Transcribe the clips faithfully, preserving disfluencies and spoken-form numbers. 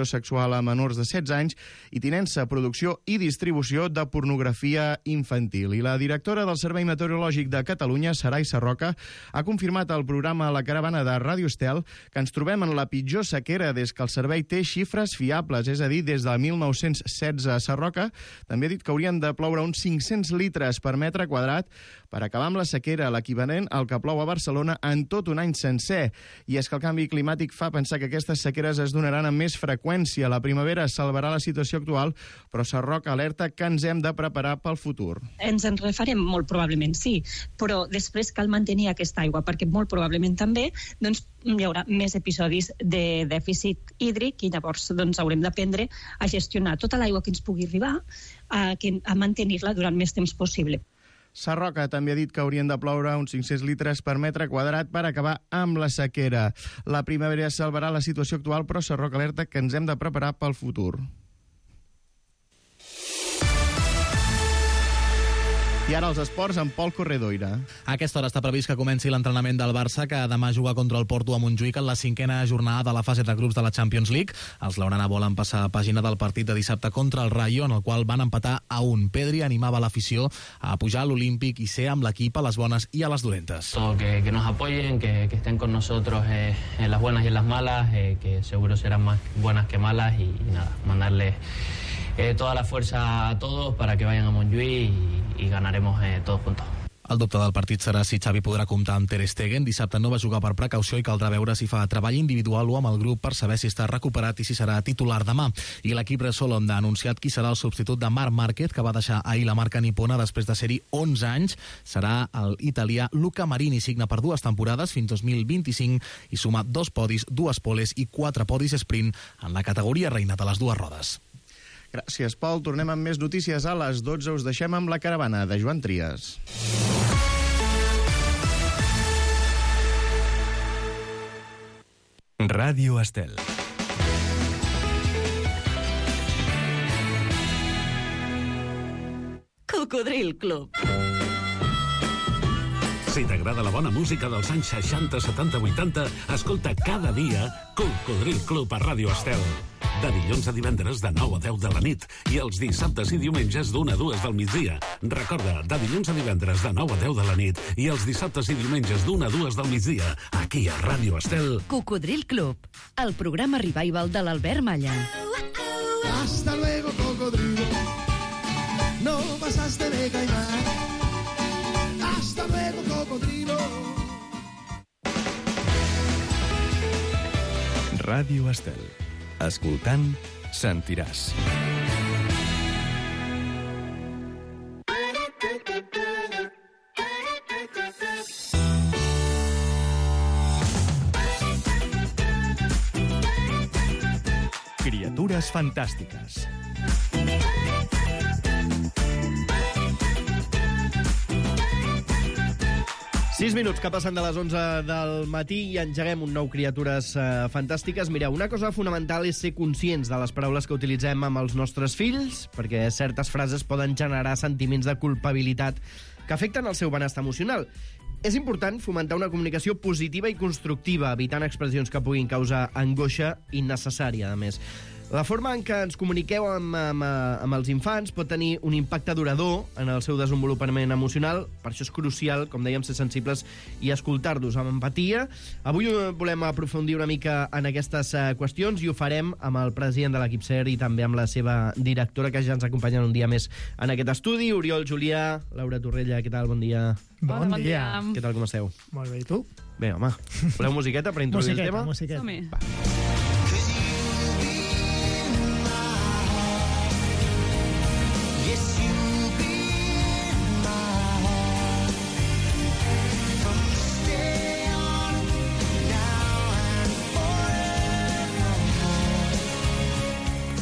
sexual a menors de setze anys i tinença, producció i distribució de pornografia infantil. I la directora del Servei Meteorològic de Catalunya, Sarai Sarroca, ha confirmat al programa La Caravana de Ràdio Estel que ens trobem en la pitjor sequera des que el servei té xifres fiables, és a dir, des del mil nou-cents setze. Sarroca també ha dit que haurien de ploure uns cinc-cents litres per metre quadrat per acabar amb la sequera, l'equivalent al que plou a Barcelona en tot un any sencer. I és que el canvi climàtic fa pensar que aquestes sequeres es donaran amb més freqüència. La primavera salvarà la situació actual, però Sarroca alerta que ens hem de preparar pel futur. Ens en refarem molt probablement, sí, però després cal mantenir aquesta aigua, perquè molt probablement també doncs, hi haurà més episodis de dèficit hídric i llavors doncs, haurem d'aprendre a gestionar tota l'aigua que ens pugui arribar, a, a mantenir-la durant més temps possible. Sarroca també ha dit que haurien de ploure uns cinc-cents litres per metre quadrat per acabar amb la sequera. La primavera salvarà la situació actual, però Sarroca alerta que ens hem de preparar pel futur. I ara els esports amb Pol Corredoira. A aquesta hora està previst que comenci l'entrenament del Barça, que demà juga contra el Porto a Montjuïc en la cinquena jornada de la fase de grups de la Champions League. Els blaugrana volen passar a pàgina del partit de dissabte contra el Rayo, en el qual van empatar a un. Pedri animava l'afició a pujar a l'Olímpic i ser amb l'equip a les bones i a les dolentes. Que, que nos apoyen, que, que estén con nosotros eh, en las buenas y en las malas, eh, que seguro serán más buenas que malas, y, y nada, mandarles Eh, toda la fuerza a todos para que vayan a Montjuïc y, y ganaremos eh, todos juntos. El dubte del partit serà si Xavi podrà comptar amb Ter Stegen. Dissabte no va jugar per precaució i caldrà veure si fa treball individual o amb el grup per saber si està recuperat i si serà titular demà. I l'equip Repsol ha anunciat qui serà el substitut de Marc Márquez, que va deixar ahir la marca nipona després de ser-hi onze anys. Serà el italià Luca Marini, signa per dues temporades fins dos mil vint-i-cinc i suma dos podis, dues poles i quatre podis sprint en la categoria reina de les dues rodes. Gràcies, Pol. Tornem amb més notícies a les dotze. Us deixem amb La Caravana, de Joan Trias. Ràdio Estel. Cocodril Club. Si t'agrada la bona música dels anys seixanta, setanta, vuitanta, escolta cada dia Cocodril Club a Ràdio Estel. De dilluns a divendres de nou a deu de la nit i els dissabtes i diumenges d'una a dues del migdia. Recorda, de dilluns a divendres de nou a deu de la nit i els dissabtes i diumenges d'una a dues del migdia, aquí a Ràdio Estel. Cocodril Club, el programa revival de l'Albert Malla. Hasta luego, cocodrilo. No pasaste de caimán. Hasta luego, cocodrilo. Ràdio Estel. Escoltant, sentiràs. Criatures fantàstiques. sis minuts que passen de les onze del matí i engeguem un nou Criatures eh, Fantàstiques. Mireu, una cosa fonamental és ser conscients de les paraules que utilitzem amb els nostres fills, perquè certes frases poden generar sentiments de culpabilitat que afecten el seu benestar emocional. És important fomentar una comunicació positiva i constructiva, evitant expressions que puguin causar angoixa innecessària, a més. La forma en què ens comuniqueu amb, amb, amb els infants pot tenir un impacte durador en el seu desenvolupament emocional. Per això és crucial, com dèiem, ser sensibles i escoltar-los amb empatia. Avui volem aprofundir una mica en aquestes qüestions i ho farem amb el president de l'equip S E R i també amb la seva directora, que ja ens acompanyen un dia més en aquest estudi. Oriol Julià, Laura Torrella, què tal? Bon dia. Bon, bon dia. dia. Què tal, com esteu? Molt bé, i tu? Bé, home. Voleu musiqueta per introduir musiqueta, el tema? Musiqueta, musiqueta. Va.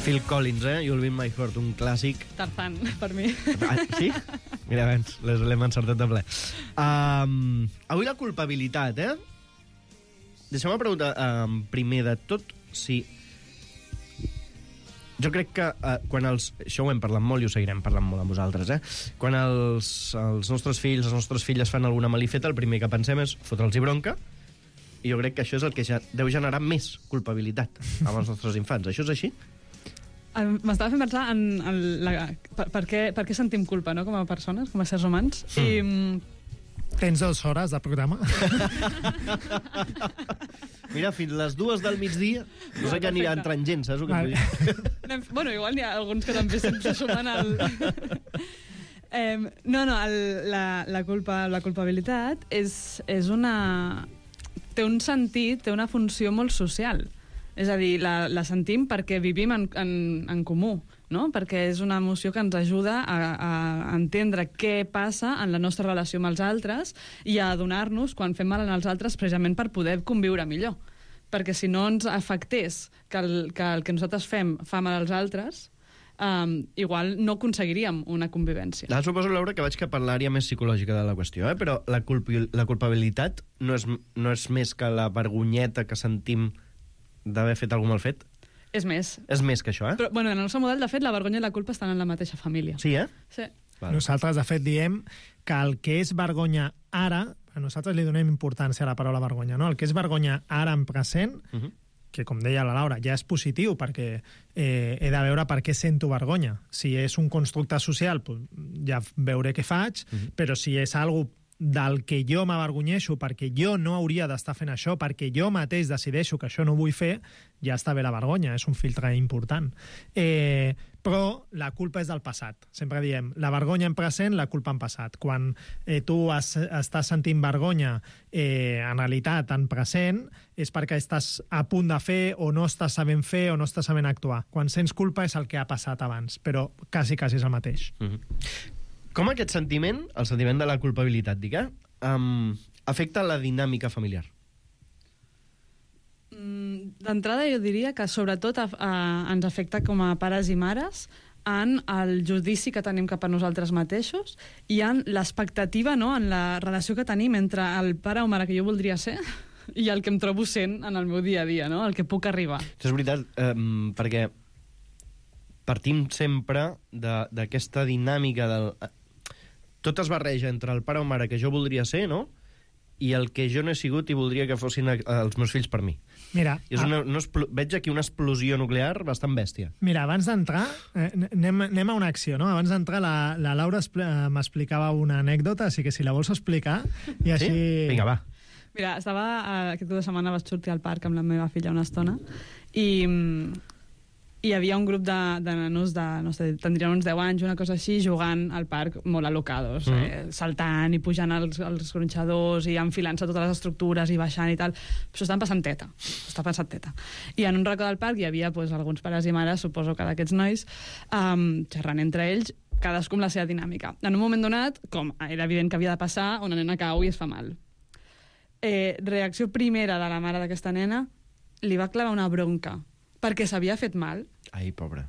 Phil Collins, eh? You'll Be My Heart, un clàssic. Tarzan, per mi. Ah, sí? Mira, abans, l'hem encertat de ple. Um, avui la culpabilitat, eh? Deixeu-me preguntar, um, primer de tot, si... Jo crec que uh, quan els... Això ho hem parlat molt i ho seguirem parlant molt amb vosaltres, eh? Quan els, els nostres fills, les nostres filles fan alguna malifeta, el primer que pensem és fotre'ls-hi bronca I jo crec que això és el que ja deu generar més culpabilitat amb els nostres infants. Això és així? M'estava fent pensar en, en la, per, per, què, per què sentim culpa, no?, com a persones, com a éssers humans. Mm. I... Tens dues hores de programa. Mira, fins les dues del migdia, no sé que anirà entrant gent, saps el que vull dir? Bueno, igual n'hi ha alguns que també sempre sumen al... eh, no, no, el, la, la, culpa, la culpabilitat és, és una... té un sentit, té una funció molt social. És a dir, la, la sentim perquè vivim en, en, en comú, no? Perquè és una emoció que ens ajuda a, a entendre què passa en la nostra relació amb els altres i a adonar-nos quan fem mal als altres precisament per poder conviure millor. Perquè si no ens afectés que el que, el que nosaltres fem fa mal als altres, um, igual no aconseguiríem una convivència. Ara suposo, Laura, que vaig cap a l'àrea més psicològica de la qüestió, eh? Però la, culpi, la culpabilitat no és, no és més que la vergonyeta que sentim d'haver fet algun mal fet? És més. És més que això, eh? Però, bueno, en el nostre model, de fet, la vergonya i la culpa estan en la mateixa família. Sí, eh? Sí. Vale. Nosaltres, de fet, diem que el que és vergonya ara, a nosaltres li donem importància a la paraula vergonya, no? El que és vergonya ara en present, uh -huh. que, com deia la Laura, ja és positiu, perquè eh, he de veure per què sento vergonya. Si és un constructe social, pues, ja veuré què faig, uh -huh. però si és algo del que jo m'avergonyeixo perquè jo no hauria d'estar fent això, perquè jo mateix decideixo que això no vull fer, ja està bé la vergonya, és un filtre important. Eh, però la culpa és del passat. Sempre diem, la vergonya en present, la culpa en passat. Quan eh, tu has, estàs sentint vergonya eh, en realitat en present, és perquè estàs a punt de fer o no estàs sabent fer o no estàs sabent actuar. Quan sents culpa és el que ha passat abans, però quasi, quasi és el mateix. Mm-hmm. Com aquest sentiment, el sentiment de la culpabilitat, dic, eh, um, afecta la dinàmica familiar? Mm, D'entrada jo diria que sobretot a, a, ens afecta com a pares i mares en el judici que tenim cap a nosaltres mateixos i en l'expectativa, no?, en la relació que tenim entre el pare o mare que jo voldria ser i el que em trobo sent en el meu dia a dia, no?, el que puc arribar. Això és veritat, um, perquè partim sempre d'aquesta dinàmica del... Tot es barreja entre el pare o mare que jo voldria ser, no?, i el que jo no he sigut i voldria que fossin els meus fills per mi. Mira, és una, una, veig aquí una explosió nuclear bastant bèstia. Mira, abans d'entrar, eh, anem, anem a una acció, no? Abans d'entrar, la, la Laura m'explicava una anècdota, així que si la vols explicar... I així... Sí? Vinga, va. Mira, estava, aquest cap de setmana vaig sortir al parc amb la meva filla una estona i... i hi havia un grup de, de nanos de, no sé, tindrien uns deu anys, una cosa així, jugant al parc molt alocados, mm. eh, saltant i pujant als, als gronxadors i enfilant-se totes les estructures i baixant i tal. Però estan passant teta, està passant teta. I en un racó del parc hi havia pues, alguns pares i mares, suposo que d'aquests nois, um, xerrant entre ells, cadascú amb la seva dinàmica. En un moment donat, com era evident que havia de passar, una nena cau i es fa mal. Eh, reacció primera de la mare d'aquesta nena, li va clavar una bronca perquè s'havia fet mal. Ai, pobra.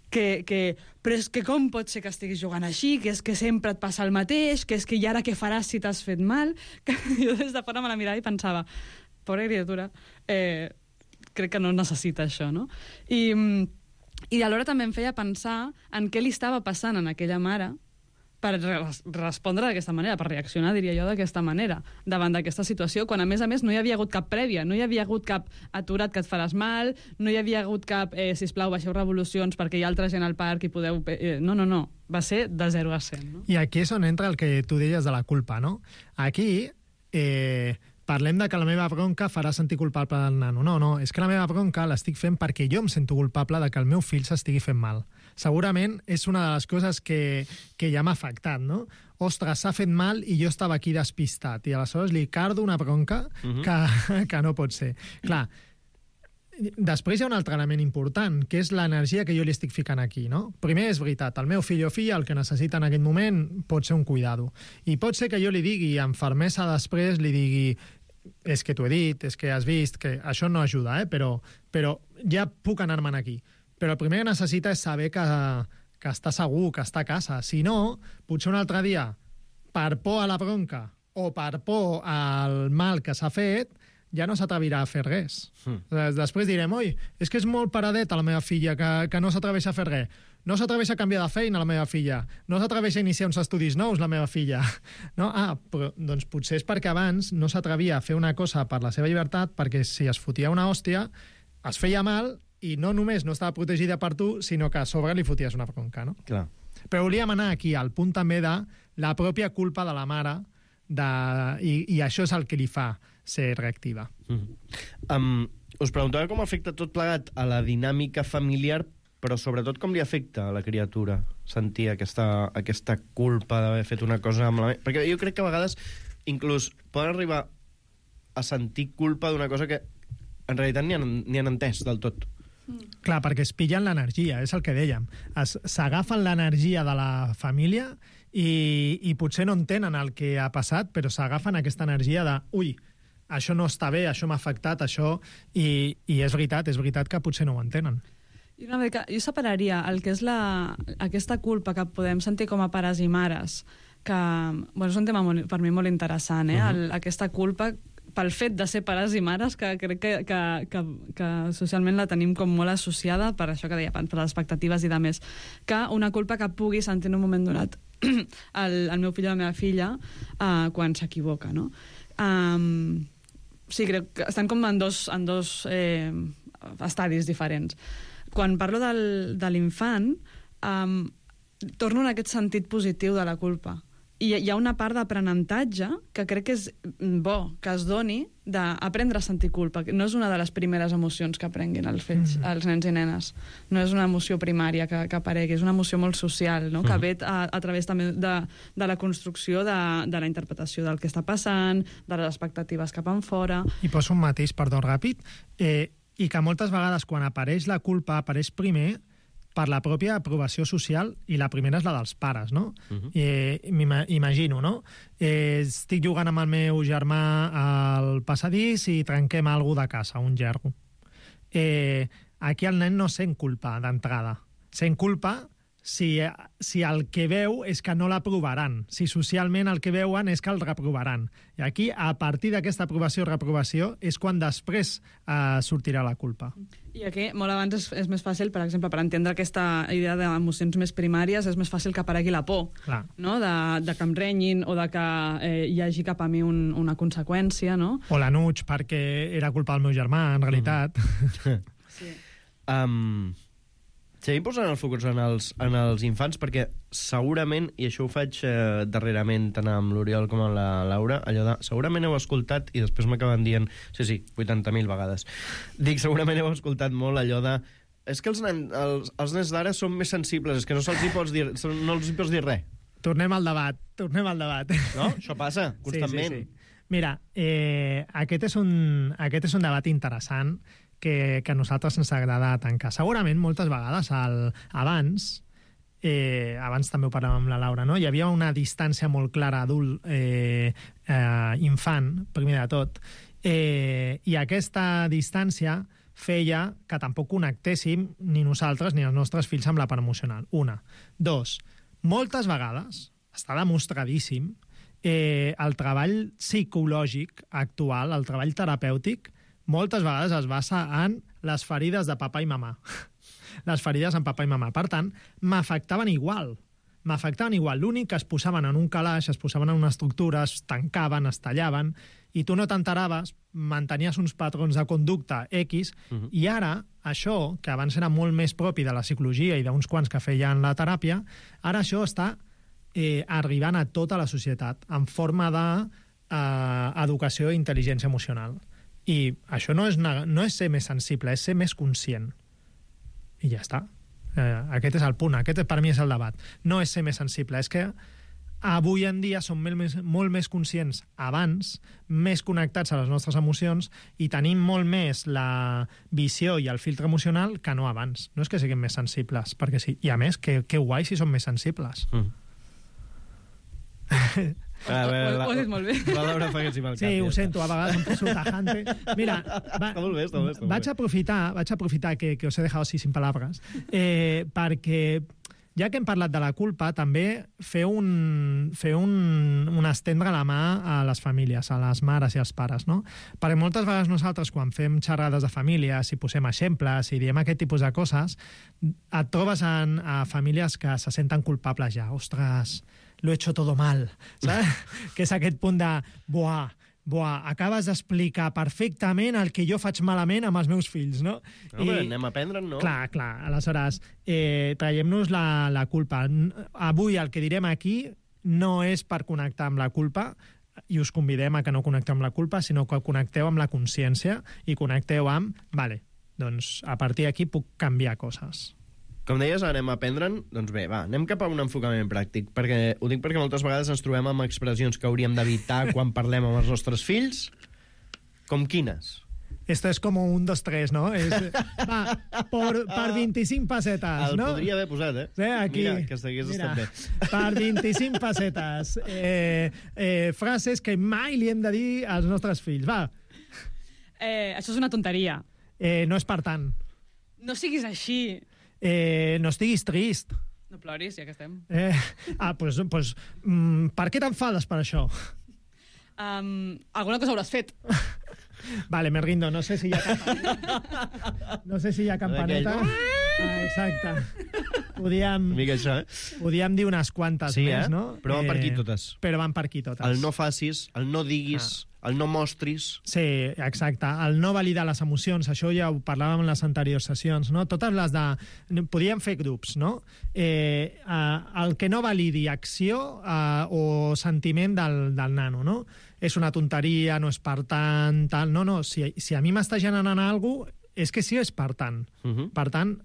Que, que, però és que com pot ser que estiguis jugant així, que és que sempre et passa el mateix, que és que i ara què faràs si t'has fet mal? Que jo des de fora me la mirava i pensava, pobra criatura, eh, crec que no necessita això, no? I, i alhora també em feia pensar en què li estava passant a aquella mare per res respondre d'aquesta manera, per reaccionar, diria jo, d'aquesta manera, davant d'aquesta situació, quan a més a més no hi havia hagut cap prèvia, no hi havia hagut cap aturat que et faràs mal, no hi havia hagut cap, eh, sisplau, baixeu revolucions perquè hi ha altra gent al parc i podeu... Eh, no, no, no, va ser de zero a cent. No? I aquí és on entra el que tu deies de la culpa, no? Aquí eh, parlem de que la meva bronca farà sentir culpable al nano. No, no, és que la meva bronca l'estic fent perquè jo em sento culpable de que el meu fill s'estigui fent mal. Segurament és una de les coses que, que ja m'ha afectat, no? Ostres, s'ha fet mal i jo estava aquí despistat i aleshores li cardo una bronca uh-huh. que, que no pot ser. Clar, després hi ha un altre element important, que és l'energia que jo li estic ficant aquí, no? Primer, és veritat, el meu fill o filla el que necessita en aquest moment pot ser un cuidado. I pot ser que jo li digui amb fermesa després, li digui és que t'ho he dit, és que has vist, que això no ajuda, eh? però, però ja puc anar-me'n aquí. Però el primer que necessita és saber que, que està segur, que està a casa. Si no, potser un altre dia, per por a la bronca o per por al mal que s'ha fet, ja no s'atrevirà a fer res. Mm. Després direm, oi, és que és molt paradeta la meva filla, que, que no s'atreveix a fer res. No s'atreveix a canviar de feina, la meva filla. No s'atreveix a iniciar uns estudis nous, la meva filla. No? Ah, però doncs potser és perquè abans no s'atrevia a fer una cosa per la seva llibertat, perquè si es fotia una hòstia, es feia mal i no només no estava protegida per tu, sinó que a sobre li foties una bronca, no? Clar. Però volíem anar aquí al punt també de la pròpia culpa de la mare de, i, i això és el que li fa ser reactiva. Mm-hmm. Um, us preguntava com afecta tot plegat a la dinàmica familiar, però sobretot com li afecta a la criatura sentir aquesta, aquesta culpa d'haver fet una cosa amb la... Perquè jo crec que a vegades inclús poden arribar a sentir culpa d'una cosa que en realitat ni han, ni han entès del tot. Clar, perquè es pillen l'energia, és el que dèiem. S'agafen l'energia de la família i, i potser no entenen el que ha passat, però s'agafen aquesta energia de ui, això no està bé, això m'ha afectat, això... I, I és veritat, és veritat que potser no ho entenen. I una mica, jo separaria el que és la, aquesta culpa que podem sentir com a pares i mares, que bueno, és un tema molt, per mi molt interessant, eh? Uh-huh. el, aquesta culpa pel fet de ser pares i mares, que crec que, que, que, que socialment la tenim com molt associada, per això que deia, per les expectatives i de més, que una culpa que pugui sentir en un moment donat el, el meu fill o la meva filla uh, quan s'equivoca, no? Um, sí, crec que estan com en dos, en dos eh, estadis diferents. Quan parlo del, de l'infant, um, torno en aquest sentit positiu de la culpa. I hi ha una part d'aprenentatge que crec que és bo que es doni d'aprendre a sentir culpa. No és una de les primeres emocions que aprenguin els fills, mm. els nens i nenes. No és una emoció primària que, que aparegui, és una emoció molt social, no? Mm. que ve a, a través també de, de la construcció de, de la interpretació del que està passant, de les expectatives cap enfora. I poso un mateix, perdó, ràpid, eh, i que moltes vegades quan apareix la culpa apareix primer per la pròpia aprovació social, i la primera és la dels pares, no? Uh-huh. Eh, M'imagino, no? Eh, estic jugant amb el meu germà al passadís i trenquem alguna de casa, un gerro. Eh, aquí el nen no sent culpa d'entrada. Sent culpa si, si el que veu és que no l'aprovaran, si socialment el que veuen és que el reprovaran. I aquí, a partir d'aquesta aprovació o reprovació, és quan després eh, sortirà la culpa. I aquí, molt abans, és, és més fàcil, per exemple, per entendre aquesta idea d'emocions més primàries, és més fàcil que aparegui la por, Clar. no? de, de que em renyin o de que eh, hi hagi cap a mi un, una conseqüència, no? O l'anuig perquè era culpa del meu germà, en realitat. Mm. sí. Um, seguim posant el focus en els, en els infants, perquè segurament, i això ho faig eh, darrerament tant amb l'Oriol com amb la Laura, allò de, segurament heu escoltat, i després m'acaben dient, sí, sí, vuitanta mil vegades, dic, segurament heu escoltat molt allò de, és que els, nen, els, els nens d'ara són més sensibles, és que no se'ls hi pots dir, no els hi pots dir res. Tornem al debat, tornem al debat. No? Això passa, constantment. Sí, sí, sí. Mira, eh, aquest, és un, aquest és un debat interessant que, que a nosaltres ens agrada tancar. Segurament, moltes vegades, el, abans, eh, abans també ho parlàvem amb la Laura, no? Hi havia una distància molt clara adult, eh, eh, infant, primer de tot, eh, i aquesta distància feia que tampoc connectéssim ni nosaltres ni els nostres fills amb la part emocional. Una. Dos, moltes vegades, està demostradíssim, eh, el treball psicològic actual, el treball terapèutic, moltes vegades es basa en les ferides de papa i mamà. Les ferides en papa i mamà. Per tant, m'afectaven igual. M'afectaven igual. L'únic que es posaven en un calaix, es posaven en una estructura, es tancaven, es tallaven, i tu no t'enteraves, mantenies uns patrons de conducta X, uh-huh. i ara, això, que abans era molt més propi de la psicologia i d'uns quants que feien la teràpia, ara això està eh, arribant a tota la societat en forma d'educació eh, i intel·ligència emocional. I això no és, una, no és ser més sensible, és ser més conscient. I ja està. Eh, aquest és el punt, aquest per mi és el debat. No és ser més sensible, és que avui en dia som molt més, molt més conscients abans, més connectats a les nostres emocions i tenim molt més la visió i el filtre emocional que no abans. No és que siguem més sensibles, perquè sí. I a més, que, que guai si som més sensibles. Mm. A veure, la, ho has dit molt bé. La Laura fa que sí, sí, ho sento, a vegades em poso tajante. Mira, va, està molt bé, està molt bé, està molt vaig aprofitar, vaig aprofitar que, que os he dejado así sin palabras, eh, perquè ja que hem parlat de la culpa, també fer un, fer un, un estendre la mà a les famílies, a les mares i als pares, no? Perquè moltes vegades nosaltres, quan fem xerrades de famílies, si posem exemples, si diem aquest tipus de coses, et trobes en, a famílies que se senten culpables ja. Ostres, lo he hecho todo mal, saps? Que és aquest punt de, buah, Buah, acabes d'explicar perfectament el que jo faig malament amb els meus fills, no? No, I... anem a aprendre, no? Clar, clar. Aleshores, eh, traiem-nos la, la culpa. Avui el que direm aquí no és per connectar amb la culpa, i us convidem a que no connecteu amb la culpa, sinó que connecteu amb la consciència i connecteu amb, vale, doncs a partir d'aquí puc canviar coses. Com deies, anem a aprendre'n? Doncs bé, va, anem cap a un enfocament pràctic. Perquè, ho dic perquè moltes vegades ens trobem amb expressions que hauríem d'evitar quan parlem amb els nostres fills. Com quines? Esto es como un, dos, tres, ¿no? Es, va, por, per vint-i-cinc pessetes, El no? podria haver posat, eh? Sí, aquí. Mira, que s'hagués estat bé. Per vint-i-cinc pessetes. Eh, eh, frases que mai li hem de dir als nostres fills. Va. Eh, això és una tonteria. Eh, no és per tant. No siguis així. Eh, no estiguis trist. No ploris, ja que estem. Eh, ah, doncs... Pues, pues, mm, per què t'enfades per això? Um, alguna cosa hauràs fet. Vale, me rindo. No sé si hi ha campaneta. No sé si hi ha campaneta. Ah, exacte. Podíem, Una mica això, eh? podíem dir unes quantes Sí, més, eh? no? Però van per aquí totes. Però van per aquí totes. El no facis, el no diguis, ah. el no mostris... Sí, exacte. El no validar les emocions, això ja ho parlàvem en les anteriors sessions, no? Totes les de... Podíem fer grups, no? Eh, eh, el que no validi acció eh, o sentiment del, del nano, no? És una tonteria, no és per tant, tal... No, no, si, si a mi m'està generant alguna cosa, és que sí és per tant. Uh -huh. Per tant,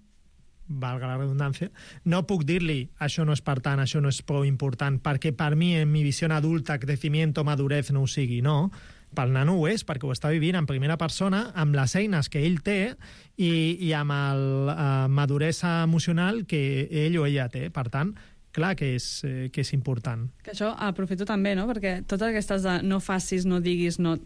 valga la redundància, no puc dir-li això no és per tant, això no és prou important, perquè per mi, en mi visió adulta, crecimiento, madurez, no ho sigui, no. Pel nano ho és, perquè ho està vivint en primera persona, amb les eines que ell té i, i amb la uh, maduresa emocional que ell o ella té. Per tant, clar que és, eh, que és important. Que això aprofito també, no? Perquè totes aquestes de no facis, no diguis, no...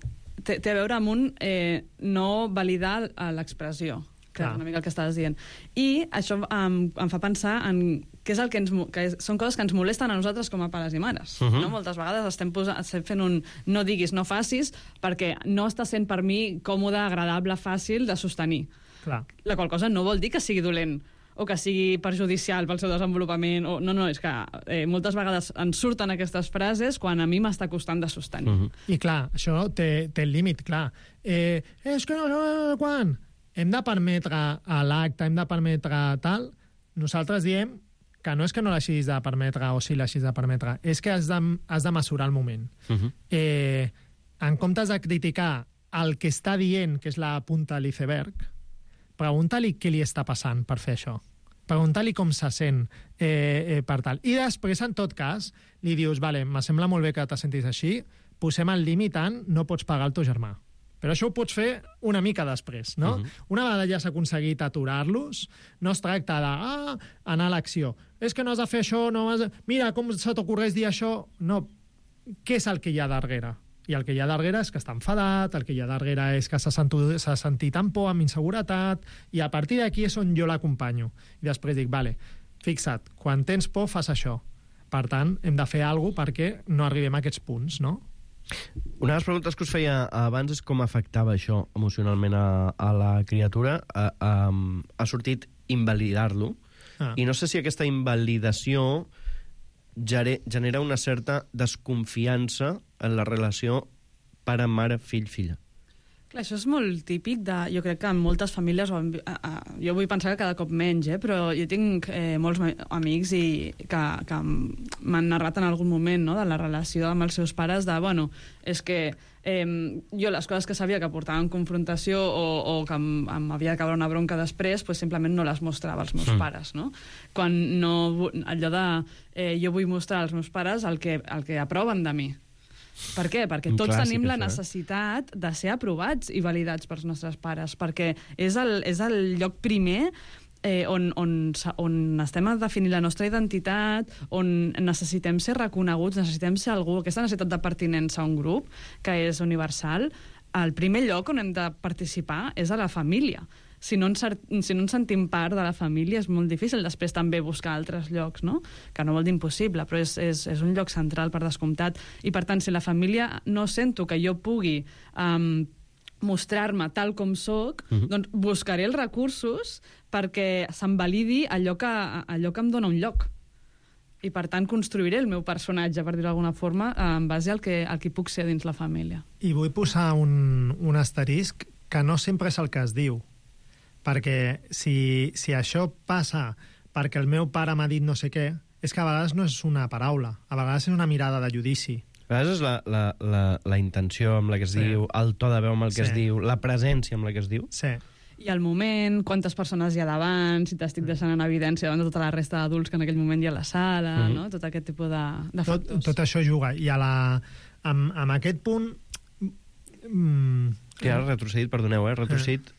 Té, té a veure amb un eh, no validar l'expressió, que és una mica el que estaves dient. I això em, em fa pensar en què és el que ens... que és, són coses que ens molesten a nosaltres com a pares i mares. Uh-huh. No? Moltes vegades estem, posant, estem fent un no diguis, no facis, perquè no està sent per mi còmode, agradable, fàcil de sostenir. Clar. La qual cosa no vol dir que sigui dolent o que sigui perjudicial pel seu desenvolupament. O... No, no, és que eh, moltes vegades ens surten aquestes frases quan a mi m'està costant de sostenir. Uh-huh. I clar, això té, té el límit, clar. Eh, és que no, no, no, quan... Hem de permetre a l'acte, hem de permetre tal... Nosaltres diem que no és que no l'hagis de permetre o si l'hagis de permetre, és que has de, has de mesurar el moment. Uh-huh. eh, en comptes de criticar el que està dient, que és la punta de l'iceberg, pregunta-li què li està passant per fer això. Pregunta-li com se sent eh, eh, per tal. I després, en tot cas, li dius, vale, me sembla molt bé que te sentis així, posem el límit en no pots pagar el teu germà. Però això ho pots fer una mica després, no? Uh-huh. Una vegada ja s'ha aconseguit aturar-los, no es tracta de ah, anar a l'acció. És que no has de fer això, no has de... Mira, com se t'ocorreix dir això? No. Què és el que hi ha darrere? I el que hi ha darrere és que està enfadat, el que hi ha darrere és que s'ha sentit, s'ha sentit amb por, amb inseguretat, i a partir d'aquí és on jo l'acompanyo. I després dic, vale, fixa't, quan tens por fas això. Per tant, hem de fer alguna cosa perquè no arribem a aquests punts, no? Una de les preguntes que us feia abans és com afectava això emocionalment a, a la criatura. A, a, ha sortit invalidar-lo, ah. i no sé si aquesta invalidació genera una certa desconfiança en la relació pare, mare, fill, filla. Clar, això és molt típic de... Jo crec que en moltes famílies... O en, a, a, jo vull pensar que cada cop menys, eh? Però jo tinc eh, molts amics i que, que m'han narrat en algun moment, no?, de la relació amb els seus pares, de, bueno, és que eh, jo les coses que sabia que portaven confrontació o, o que em, em havia de caure una bronca després, pues simplement no les mostrava als meus mm. pares, no? Quan no... Allò de... Eh, jo vull mostrar als meus pares el que, el que aproven de mi. Per què? Perquè tots clàssic, tenim la necessitat de ser aprovats i validats pels nostres pares, perquè és el, és el lloc primer eh, on, on, on estem a definir la nostra identitat, on necessitem ser reconeguts, necessitem ser algú, aquesta necessitat de pertinença a un grup, que és universal. El primer lloc on hem de participar és a la família. si no, ens, si no ens sentim part de la família és molt difícil després també buscar altres llocs, no? Que no vol dir impossible, però és, és, és un lloc central per descomptat. I per tant, si la família no sento que jo pugui um, mostrar-me tal com soc, uh-huh. doncs buscaré els recursos perquè se'm validi allò que, allò que em dona un lloc. I, per tant, construiré el meu personatge, per dir-ho d'alguna forma, en base al que, al que puc ser dins la família. I vull posar un, un asterisc que no sempre és el que es diu. Perquè si, si això passa perquè el meu pare m'ha dit no sé què, és que a vegades no és una paraula, a vegades és una mirada de judici. A vegades és la, la, la, la intenció amb la que es sí. diu, el to de veu amb el que sí. es diu, la presència amb la que es diu. Sí. I el moment, quantes persones hi ha davant, si t'estic deixant en evidència davant de tota la resta d'adults que en aquell moment hi ha a la sala, mm. no? Tot aquest tipus de, de factors. Tot, tot això juga. I a la, amb, amb aquest punt... Mm, que ha retrocedit, perdoneu, eh? Retrocedit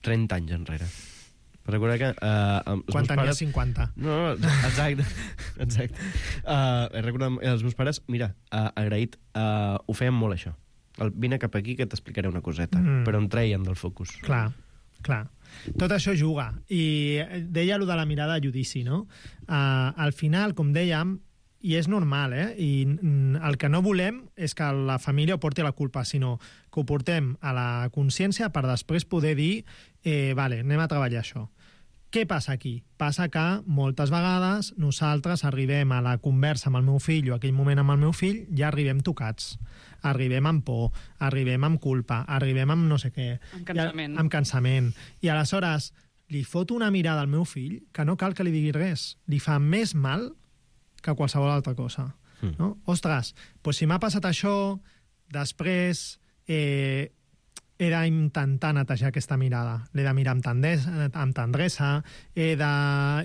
trenta anys enrere. Per recordar que... Uh, Quan tenia pares... cinquanta. No, no, exacte. exacte. Uh, he recordat els meus pares, mira, uh, agraït, uh, ho feien molt, això. El, vine cap aquí que t'explicaré una coseta, mm. però em treien del focus. Clar, clar. Tot això juga. I deia allò de la mirada a judici, no? Uh, al final, com dèiem, i és normal, eh? I el que no volem és que la família ho porti a la culpa, sinó que ho portem a la consciència per després poder dir eh, vale, anem a treballar això. Què passa aquí? Passa que moltes vegades nosaltres arribem a la conversa amb el meu fill o aquell moment amb el meu fill, ja arribem tocats. Arribem amb por, arribem amb culpa, arribem amb no sé què. Amb cansament. I, amb cansament. I aleshores li foto una mirada al meu fill que no cal que li digui res. Li fa més mal que qualsevol altra cosa. Mm. No? Ostres, doncs si m'ha passat això, després... Eh, he d'intentar netejar aquesta mirada. L'he de mirar amb, tendesa, amb tendresa, he de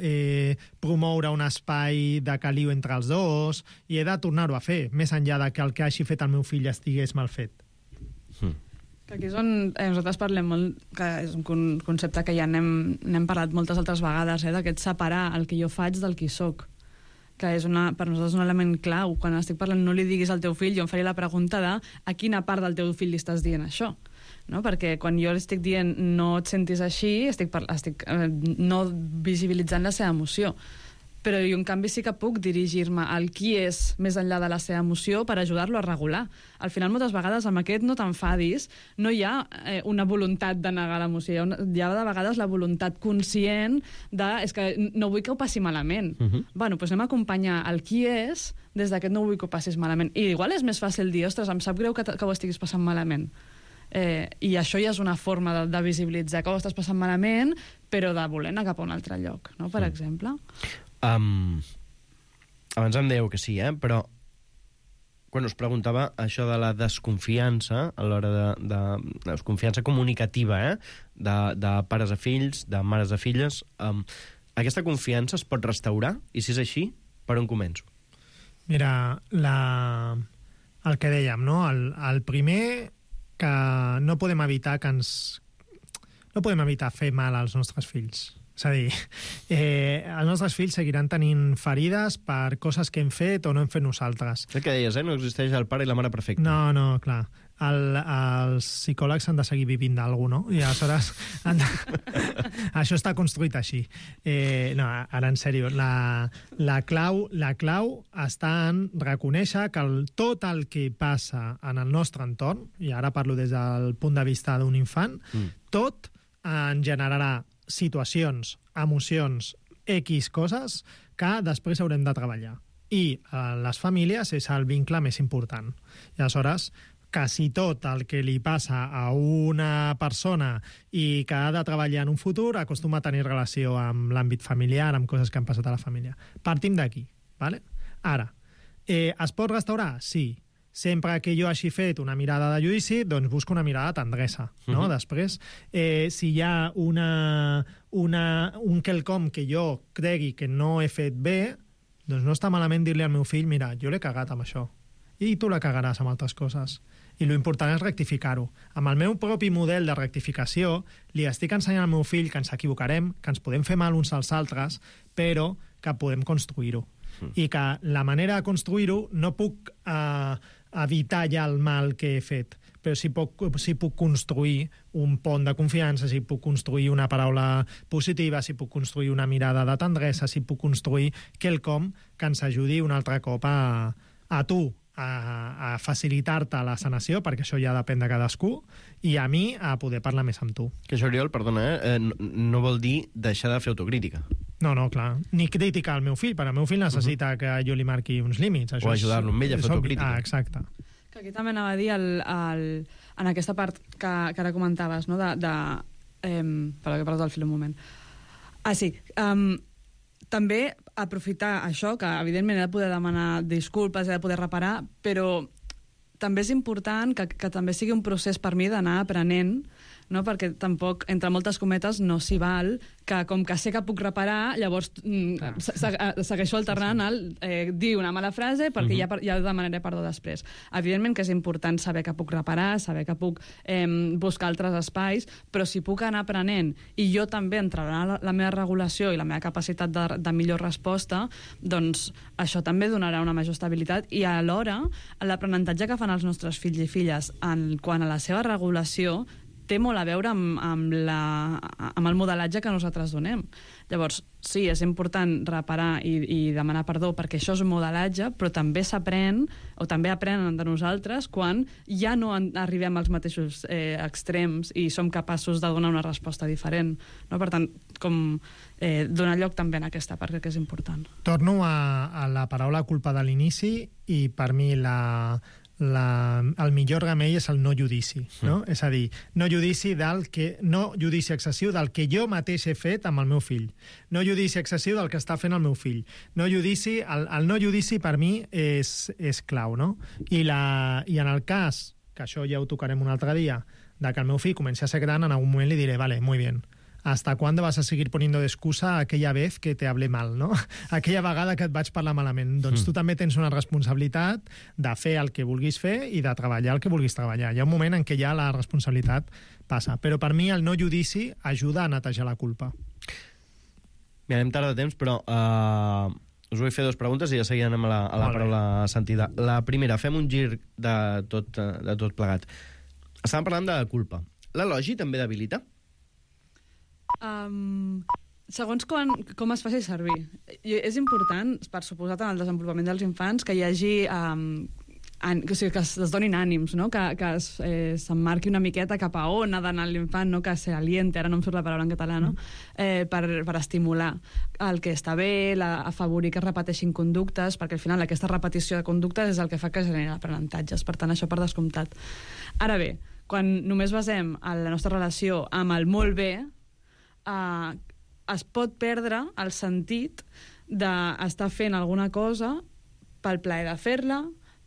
eh, promoure un espai de caliu entre els dos i he de tornar-ho a fer, més enllà de que el que hagi fet el meu fill estigués mal fet. Mm. Que aquí és on eh, nosaltres parlem molt, que és un concepte que ja n'hem, n'hem parlat moltes altres vegades, eh, d'aquest separar el que jo faig del qui soc, que és una, per nosaltres un element clau. Quan estic parlant no li diguis al teu fill, jo em faré la pregunta de a quina part del teu fill li estàs dient això. No? Perquè quan jo li estic dient no et sentis així, estic, par estic eh, no visibilitzant la seva emoció. Però jo, en canvi, sí que puc dirigir-me al qui és més enllà de la seva emoció per ajudar-lo a regular. Al final, moltes vegades, amb aquest no t'enfadis, no hi ha eh, una voluntat de negar l'emoció. Hi ha, una, hi ha de vegades la voluntat conscient de és que no vull que ho passi malament. Uh-huh. Bueno, doncs anem a acompanyar el qui és des d'aquest no vull que ho passis malament. I igual és més fàcil dir, ostres, em sap greu que, que ho estiguis passant malament. Eh, i això ja és una forma de, de visibilitzar que ho estàs passant malament, però de voler anar cap a un altre lloc, no? Per mm. exemple. Um, abans em dèieu que sí, eh? Però quan us preguntava això de la desconfiança a l'hora de, de, de desconfiança comunicativa, eh? de, de pares a fills, de mares a filles, um, aquesta confiança es pot restaurar? I si és així, per on començo? Mira, la... el que dèiem, no? El, el primer... que no podem evitar que ens... no podem evitar fer mal als nostres fills. És a dir, eh, els nostres fills seguiran tenint ferides per coses que hem fet o no hem fet nosaltres. El que deies, eh? No existeix el pare i la mare perfecta. No, no, clar. El, els psicòlegs han de seguir vivint d'alguna cosa, no? I aleshores... Han de... Això està construït així. Eh, no, ara, en sèrio, la, la, clau, la clau està en reconèixer que el, tot el que passa en el nostre entorn, i ara parlo des del punt de vista d'un infant, mm. tot en generarà situacions, emocions, X coses que després haurem de treballar. I eh, les famílies és el vincle més important. I aleshores, quasi tot el que li passa a una persona i que ha de treballar en un futur acostuma a tenir relació amb l'àmbit familiar, amb coses que han passat a la família. Partim d'aquí, ¿vale? Ara, eh, es pot restaurar? Sí. Sempre que jo hagi fet una mirada de judici, doncs busco una mirada de tendresa, no? Uh-huh. Després, eh, si hi ha una, una, un quelcom que jo cregui que no he fet bé, doncs no està malament dir-li al meu fill, mira, jo l'he cagat amb això, i tu la cagaràs amb altres coses. I l'important és rectificar-ho. Amb el meu propi model de rectificació li estic ensenyant al meu fill que ens equivocarem, que ens podem fer mal uns als altres, però que podem construir-ho. Mm. I que la manera de construir-ho no puc eh, evitar ja el mal que he fet, però si puc, si puc construir un pont de confiança, si puc construir una paraula positiva, si puc construir una mirada de tendresa, si puc construir quelcom que ens ajudi un altre cop a, a tu a, a facilitar-te la sanació, perquè això ja depèn de cadascú, i a mi a poder parlar més amb tu. Que això, Oriol, perdona, eh? no, no vol dir deixar de fer autocrítica. No, no, clar. Ni criticar el meu fill, perquè el meu fill necessita uh -huh. que jo li marqui uns límits. Això o ajudar-lo amb ell a fer autocrítica. Ah, exacte. Que aquí també anava a dir el, el, en aquesta part que, que ara comentaves, no? de... de eh, perdó, que he perdut el fil un moment. Ah, sí. Um, també aprofitar això, que evidentment he de poder demanar disculpes, he de poder reparar, però també és important que, que també sigui un procés per mi d'anar aprenent, no? Perquè tampoc, entre moltes cometes, no s'hi val que com que sé que puc reparar, llavors mm, se segueixo alternant el eh, dir una mala frase perquè uh-huh. ja, ja demanaré perdó després. Evidentment que és important saber que puc reparar, saber que puc eh, buscar altres espais, però si puc anar aprenent i jo també entrarà la, la meva regulació i la meva capacitat de, de millor resposta, doncs això també donarà una major estabilitat i alhora l'aprenentatge que fan els nostres fills i filles en quant a la seva regulació té molt a veure amb, amb, la, amb el modelatge que nosaltres donem. Llavors, sí, és important reparar i, i demanar perdó perquè això és un modelatge, però també s'aprèn, o també aprenen de nosaltres, quan ja no en, arribem als mateixos eh, extrems i som capaços de donar una resposta diferent. No? Per tant, com eh, donar lloc també en aquesta part, que és important. Torno a, a la paraula culpa de l'inici i per mi la... La, el millor remei és el no judici, no? Mm. És a dir, no judici del que, no judici excessiu del que jo mateix he fet amb el meu fill, no judici excessiu del que està fent el meu fill, no judici, el, el no judici per mi és, és clau, no? I, la, I en el cas, que això ja ho tocarem un altre dia, de que el meu fill comenci a ser gran, en algun moment li diré, vale, muy bien, ¿hasta cuándo vas a seguir poniendo de excusa aquella vez que te hablé mal, no? Aquella vegada que et vaig parlar malament. Doncs mm. tu també tens una responsabilitat de fer el que vulguis fer i de treballar el que vulguis treballar. Hi ha un moment en què ja la responsabilitat passa. Però per mi el no judici ajuda a netejar la culpa. Mira, anem tard de temps, però uh, us vull fer dues preguntes i ja seguirem a la, a la paraula sentida. La primera, fem un gir de tot, de tot plegat. Estàvem parlant de culpa. L'elogi també debilita? Um, segons quan, com es faci servir. I és important, per suposat, en el desenvolupament dels infants, que hi hagi um, an, o sigui, que es, es donin ànims, no? que, que s'emmarqui eh, una miqueta cap a on ha d'anar l'infant, no? que se aliente, ara no em surt la paraula en català, no? eh, per, per estimular el que està bé, la, afavorir que es repeteixin conductes, perquè al final aquesta repetició de conductes és el que fa que generi aprenentatges, per tant això per descomptat. Ara bé, quan només basem la nostra relació amb el molt bé, Uh, es pot perdre el sentit d'estar fent alguna cosa pel plaer de fer-la,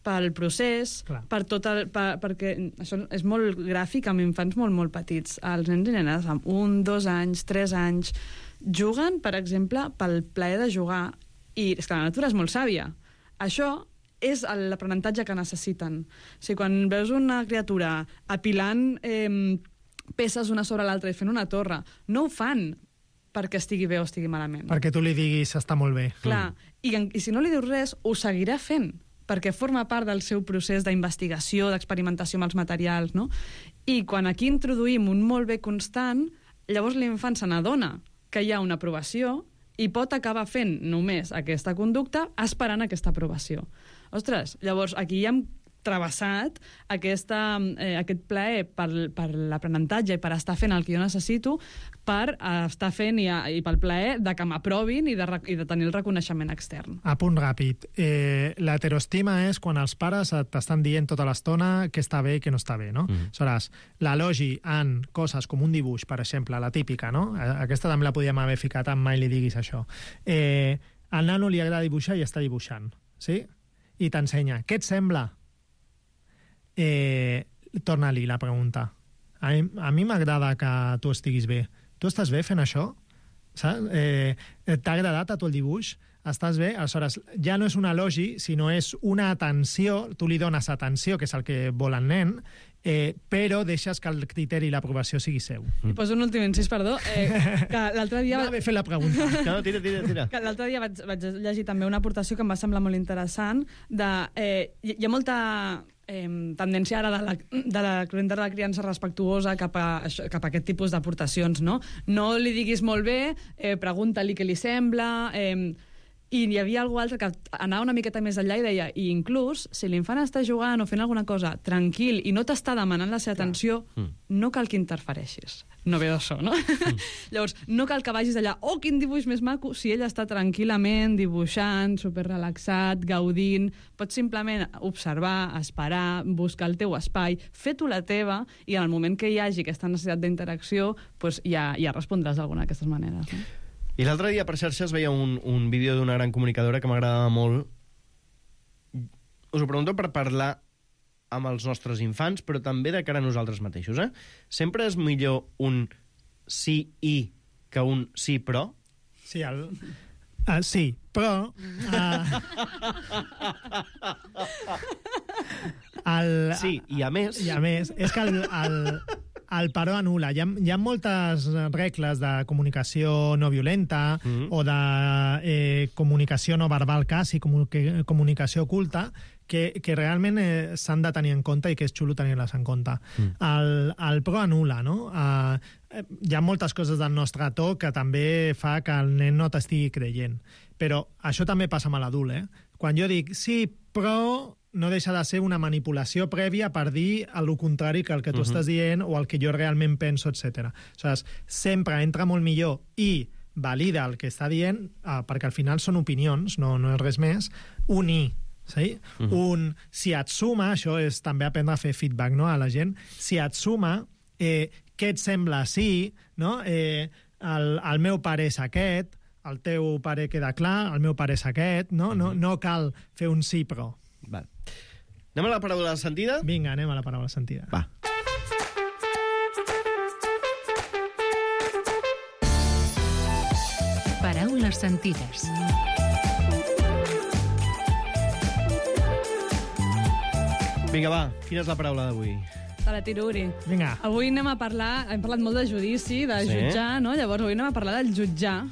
pel procés, Clar. per tot el, per, perquè això és molt gràfic amb infants molt, molt petits. Els nens i nenes amb un, dos anys, tres anys, juguen, per exemple, pel plaer de jugar. I és que la natura és molt sàvia. Això és l'aprenentatge que necessiten. O sigui, quan veus una criatura apilant eh, peces una sobre l'altra i fent una torre, no ho fan perquè estigui bé o estigui malament. Perquè tu li diguis està molt bé. Clar, mm. I, i si no li dius res, ho seguirà fent, perquè forma part del seu procés d'investigació, d'experimentació amb els materials, no? I quan aquí introduïm un molt bé constant, llavors l'infant se n'adona que hi ha una aprovació i pot acabar fent només aquesta conducta esperant aquesta aprovació. Ostres, llavors aquí hi ha travessat aquesta, eh, aquest plaer per, per l'aprenentatge i per estar fent el que jo necessito per estar fent i, i pel plaer de que m'aprovin i, de, i de tenir el reconeixement extern. A punt ràpid. Eh, L'heteroestima és quan els pares t'estan dient tota l'estona que està bé i que no està bé, no? Mm. Aleshores, l'elogi en coses com un dibuix, per exemple, la típica, no? Aquesta també la podíem haver ficat en mai li diguis això. Eh, al nano li agrada dibuixar i està dibuixant, sí? I t'ensenya. Què et sembla? Eh, torna-li la pregunta. A mi, a mi m'agrada que tu estiguis bé. Tu estàs bé fent això? Saps? Eh, T'ha agradat a tu el dibuix? Estàs bé? Aleshores, ja no és un elogi, sinó és una atenció, tu li dones atenció, que és el que vol el nen, eh, però deixes que el criteri i l'aprovació sigui seu. I poso un últim incís, perdó, eh, que l'altre dia... No haver fet la pregunta. No, tira, tira, tira. Que l'altre dia vaig, vaig llegir també una aportació que em va semblar molt interessant de... Eh, hi, hi ha molta eh, tendència ara de la, de la de la criança respectuosa cap a, això, cap a aquest tipus d'aportacions, no? No li diguis molt bé, eh, pregunta-li què li sembla... Eh, i hi havia algú altre que anava una miqueta més enllà i deia, i inclús, si l'infant està jugant o fent alguna cosa tranquil i no t'està demanant la seva atenció, mm. no cal que interfereixis. No ve d'això, no? Mm. Llavors, no cal que vagis allà, oh, quin dibuix més maco, si ell està tranquil·lament dibuixant, superrelaxat, gaudint, pots simplement observar, esperar, buscar el teu espai, fer tu la teva, i en el moment que hi hagi aquesta necessitat d'interacció, doncs ja, ja respondràs d'alguna d'aquestes maneres, no? I l'altre dia per xarxes veia un, un vídeo d'una gran comunicadora que m'agradava molt. Us ho pregunto per parlar amb els nostres infants, però també de cara a nosaltres mateixos, eh? Sempre és millor un sí i que un sí però? Sí, el... Uh, sí, però... Uh... el, sí, i a més... I a més, és que el... el... el però anul·la. Hi ha, hi ha moltes regles de comunicació no violenta mm-hmm. o de eh, comunicació no verbal quasi, comu- comunicació oculta, que, que realment eh, s'han de tenir en compte i que és xulo tenir-les en compte. Mm. El, el però anul·la, no? Uh, hi ha moltes coses del nostre to que també fa que el nen no t'estigui creient. Però això també passa amb l'adult, eh? Quan jo dic sí, però... no deixa de ser una manipulació prèvia per dir el contrari que el que tu uh-huh. estàs dient o el que jo realment penso, etcètera. Aleshores, sempre entra molt millor i valida el que està dient, eh, perquè al final són opinions, no, no és res més, un i, sí? Uh-huh. Un, si et suma, això és també aprendre a fer feedback, no?, a la gent, si et suma, eh, què et sembla sí, no? Eh, el, el meu pare és aquest, el teu pare queda clar, el meu pare és aquest, no? Uh-huh. No, no cal fer un sí però. Val. Anem a la paraula sentida? Vinga, anem a la paraula sentida. Va. Paraules sentides. Vinga, va, quina és la paraula d'avui? Te la tiro, Uri. Vinga. Avui anem a parlar, hem parlat molt de judici, de Sí. jutjar, no? Llavors avui anem a parlar del jutjar.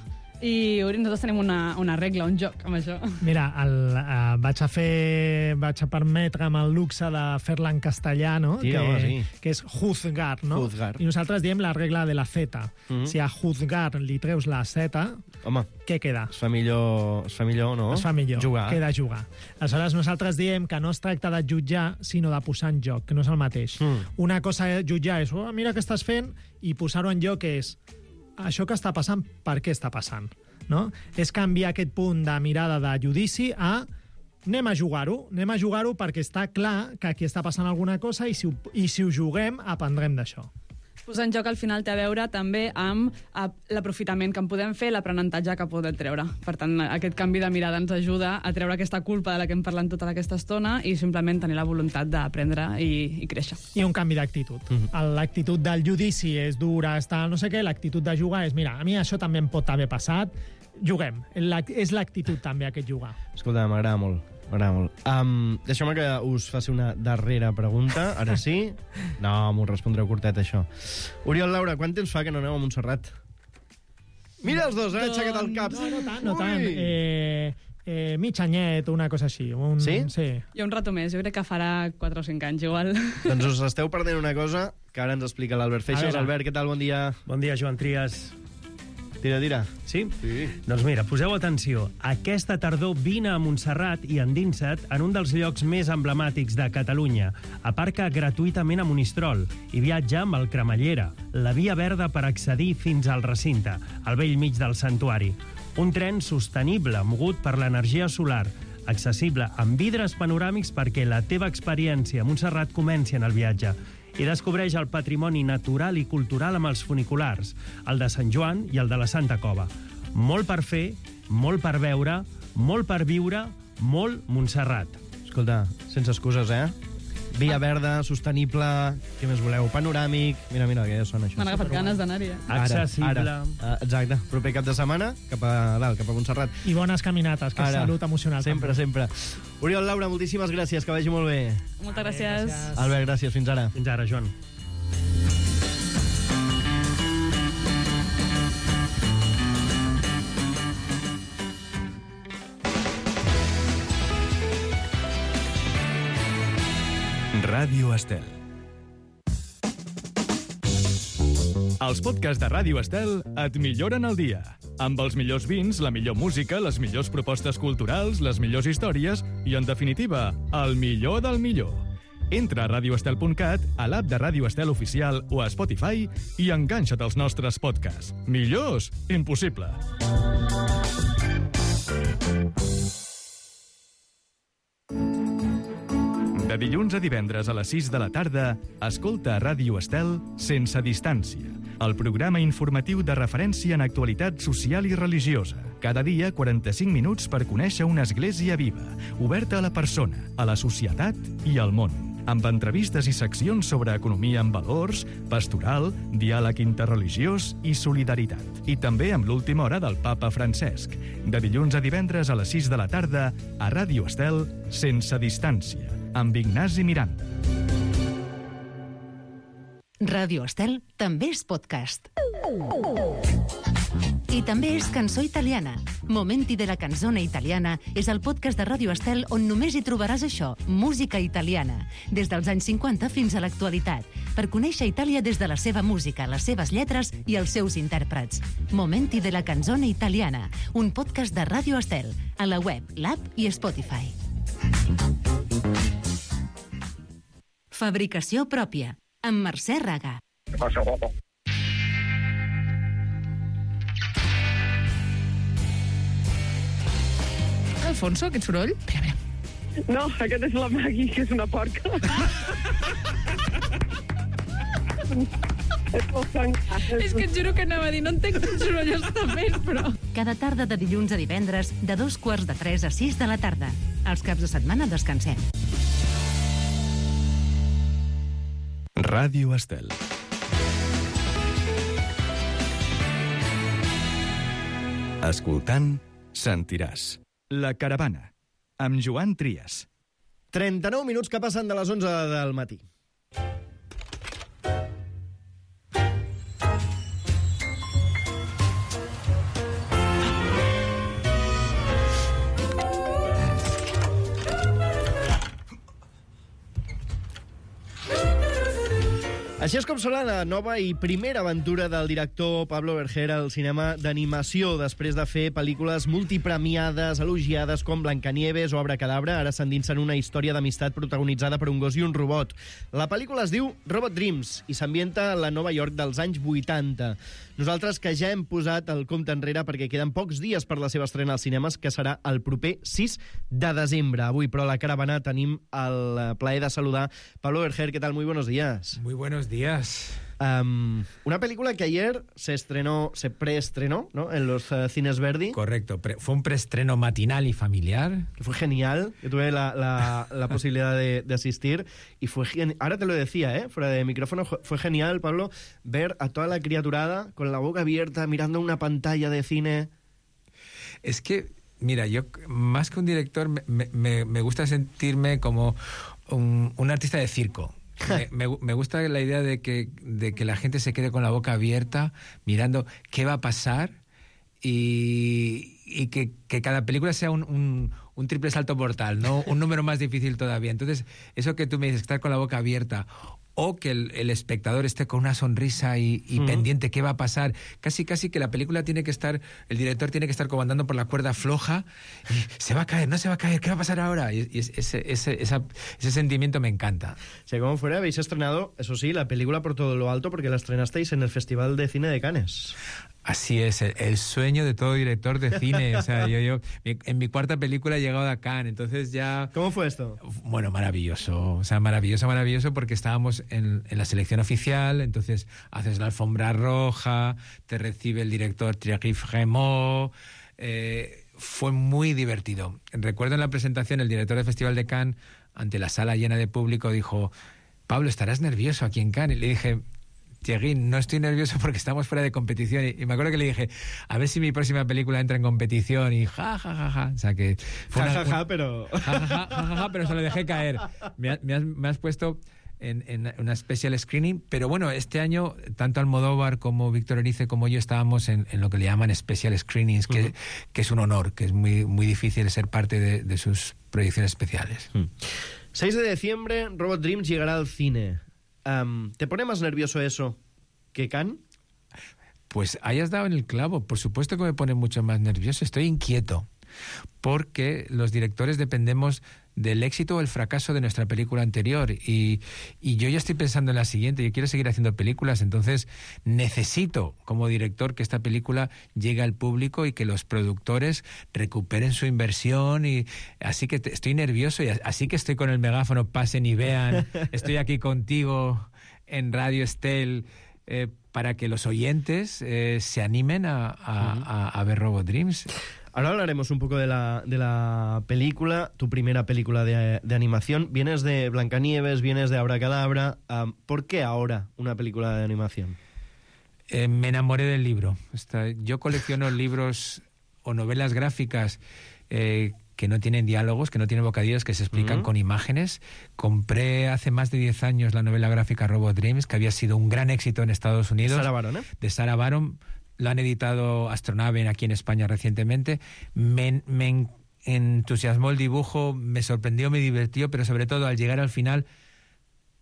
I Uri, nosaltres tenim una, una regla, un joc amb això. Mira, el, uh, vaig a fer... vaig a permetre'm el luxe de fer-la en castellà, no? Tira, que, home, sí. que és juzgar, no? Juzgar. I nosaltres diem la regla de la Z. Mm-hmm. Si a juzgar li treus la Z, home, què queda? Es fa millor, es fa millor, no? Es fa millor, jugar. Queda jugar. Aleshores, nosaltres diem que no es tracta de jutjar, sinó de posar en joc, que no és el mateix. Mm. Una cosa és jutjar és, oh, mira què estàs fent, i posar-ho en joc és, això que està passant, per què està passant? No? És canviar aquest punt de mirada de judici a anem a jugar-ho, anem a jugar-ho perquè està clar que aquí està passant alguna cosa i si ho, i si ho juguem aprendrem d'això. Posar en joc al final té a veure també amb l'aprofitament que en podem fer, l'aprenentatge que podem treure. Per tant, aquest canvi de mirada ens ajuda a treure aquesta culpa de la que hem parlat tota aquesta estona i simplement tenir la voluntat d'aprendre i, i créixer. I un canvi d'actitud. Mm-hmm. L'actitud del judici és dura, està no sé què, l'actitud de jugar és, mira, a mi això també em pot haver passat, juguem. La, és l'actitud també aquest jugar. Escolta, m'agrada molt. M'agrada molt. Um, Deixeu-me que us faci una darrera pregunta. Ara sí? No, m'ho respondreu curtet, això. Oriol, Laura, quant temps fa que no aneu a Montserrat? Mira els dos, eh? Doncs... Aixecat el cap. No, no tant, no tant. Eh, eh, mig anyet, una cosa així. Un... Sí? Sí. I un rato més, jo crec que farà quatre o cinc anys, igual. Doncs us esteu perdent una cosa que ara ens explica l'Albert Feixas. Albert, què tal? Bon dia. Bon dia, Joan Trias. Tira, tira. Sí? Sí. Doncs mira, poseu atenció. Aquesta tardor vine a Montserrat i endinsa't en un dels llocs més emblemàtics de Catalunya. Aparca gratuïtament a Monistrol i viatja amb el Cremallera, la via verda per accedir fins al recinte, al vell mig del santuari. Un tren sostenible, mogut per l'energia solar, accessible amb vidres panoràmics perquè la teva experiència a Montserrat comenci en el viatge. I descobreix el patrimoni natural i cultural amb els funiculars, el de Sant Joan i el de la Santa Cova. Molt per fer, molt per veure, molt per viure, molt Montserrat. Escolta, sense excuses, eh? Via verda, sostenible, què més voleu? Panoràmic... Mira, mira, que ja sona això. M'han agafat ganes d'anar-hi, eh? Accessible. Ara, ara. Exacte. Proper cap de setmana, cap a dalt, cap a Montserrat. I bones caminates, que és salut emocional. Sempre, també. sempre. Oriol, Laura, moltíssimes gràcies, que vagi molt bé. Moltes gràcies. gràcies. Albert, gràcies. Fins ara. Fins ara, Joan. Ràdio Estel. Els podcasts de Ràdio Estel et milloren el dia. Amb els millors vins, la millor música, les millors propostes culturals, les millors històries i, en definitiva, el millor del millor. Entra a radio estel punt cat, a l'app de Ràdio Estel Oficial o a Spotify i enganxa't als nostres podcasts. Millors? Impossible. De dilluns a divendres a les sis de la tarda, escolta a Ràdio Estel Sense Distància, el programa informatiu de referència en actualitat social i religiosa. Cada dia, quaranta-cinc minuts per conèixer una església viva, oberta a la persona, a la societat i al món. Amb entrevistes i seccions sobre economia amb valors, pastoral, diàleg interreligiós i solidaritat. I també amb l'última hora del papa Francesc. De dilluns a divendres a les sis de la tarda, a Ràdio Estel Sense Distància, amb Ignasi Miranda. Ràdio Estel també és podcast. I també és cançó italiana. Momenti de la canzone italiana és el podcast de Ràdio Estel on només hi trobaràs això, música italiana, des dels anys cinquanta fins a l'actualitat, per conèixer Itàlia des de la seva música, les seves lletres i els seus intèrprets. Momenti de la canzone italiana, un podcast de Ràdio Estel, a la web, l'app i Spotify. Fabricació pròpia, amb Mercè Raga. Què passa, guapo? Alfonso, aquest soroll? Espera, espera. No, aquest és la Maggie, que és una porca. És que et juro que anava a dir, no entenc quin soroll està fent, però... Cada tarda de dilluns a divendres, de dos quarts de tres a sis de la tarda. Els caps de setmana descansem. Ràdio Estel. Escoltant, sentiràs. La Caravana, amb Joan Trias. trenta-nou minuts que passen de les onze del matí. Així és com serà la nova i primera aventura del director Pablo Berger al cinema d'animació. Després de fer pel·lícules multipremiades, elogiades com Blancanieves o Abracadabra, ara s'endinsa en una història d'amistat protagonitzada per un gos i un robot. La pel·lícula es diu Robot Dreams i s'ambienta a la Nova York dels anys vuitanta. Nosaltres que ja hem posat el compte enrere perquè queden pocs dies per la seva estrena als cinemes, que serà el proper sis de desembre. Avui, però, a la Caravana tenim el plaer de saludar Pablo Berger. ¿Qué tal? Muy buenos días. Muy buenos días. Um, una película que ayer se estrenó, se preestrenó, ¿no?, en los uh, cines Verdi. Correcto, Pre fue un preestreno matinal y familiar. Que fue genial, yo tuve la, la, la posibilidad de, de asistir y fue genial. Ahora te lo decía, ¿eh?, fuera de micrófono, fue genial, Pablo, ver a toda la criaturada con la boca abierta, mirando una pantalla de cine. Es que, mira, yo más que un director me, me, me gusta sentirme como un, un artista de circo. Me, me, me gusta la idea de que, de que la gente se quede con la boca abierta mirando qué va a pasar y, y que, que cada película sea un, un, un triple salto mortal, ¿no? Un número más difícil todavía. Entonces, eso que tú me dices, estar con la boca abierta o que el, el espectador esté con una sonrisa y, y uh-huh. pendiente qué va a pasar. Casi, casi que la película tiene que estar, el director tiene que estar comandando por la cuerda floja y se va a caer, no se va a caer, ¿qué va a pasar ahora? Y, y ese, ese, esa, ese sentimiento me encanta. Si como fuera, habéis estrenado, eso sí, la película por todo lo alto porque la estrenasteis en el Festival de Cine de Cannes. Así es, el, el sueño de todo director de cine. O sea, yo, yo en mi cuarta película he llegado a Cannes, entonces ya... ¿Cómo fue esto? Bueno, maravilloso, o sea, maravilloso, maravilloso, porque estábamos en, en la selección oficial, entonces haces la alfombra roja, te recibe el director Thierry Frémaux, eh, fue muy divertido. Recuerdo en la presentación, el director del Festival de Cannes, ante la sala llena de público, dijo: Pablo, ¿estarás nervioso aquí en Cannes? Y le dije: Thierry, no estoy nervioso porque estamos fuera de competición. Y, y me acuerdo que le dije, a ver si mi próxima película entra en competición. Y ja, ja, ja, ja. O sea que... Fue ja, una, ja, ja, pero... Ja, ja, ja, ja, ja, ja, pero se lo dejé caer. Me, me, has, me has puesto en, en una special screening. Pero bueno, este año, tanto Almodóvar como Víctor Erice como yo estábamos en, en lo que le llaman special screenings, que, uh-huh. que es un honor, que es muy, muy difícil ser parte de, de sus proyecciones especiales. Uh-huh. seis de diciembre, Robot Dreams llegará al cine. Um, ¿Te pone más nervioso eso que Cannes? Pues hayas dado en el clavo. Por supuesto que me pone mucho más nervioso. Estoy inquieto. Porque los directores dependemos del éxito o el fracaso de nuestra película anterior y, y yo ya estoy pensando en la siguiente. Yo quiero seguir haciendo películas, entonces necesito como director que esta película llegue al público y que los productores recuperen su inversión, y así que te, estoy nervioso y así que estoy con el megáfono, pasen y vean, estoy aquí contigo en Radio Estel eh, para que los oyentes eh, se animen a, a, a, a ver Robot Dreams. Ahora hablaremos un poco de la, de la película, tu primera película de, de animación. Vienes de Blancanieves, vienes de Abracadabra. Um, ¿Por qué ahora una película de animación? Eh, me enamoré del libro. Está, yo colecciono libros o novelas gráficas eh, que no tienen diálogos, que no tienen bocadillos, que se explican uh-huh. con imágenes. Compré hace más de diez años la novela gráfica Robot Dreams, que había sido un gran éxito en Estados Unidos. Sarah Baron, ¿eh? De Sarah Baron. Lo han editado Astronave aquí en España recientemente. Me, me entusiasmó el dibujo, me sorprendió, me divirtió, pero sobre todo al llegar al final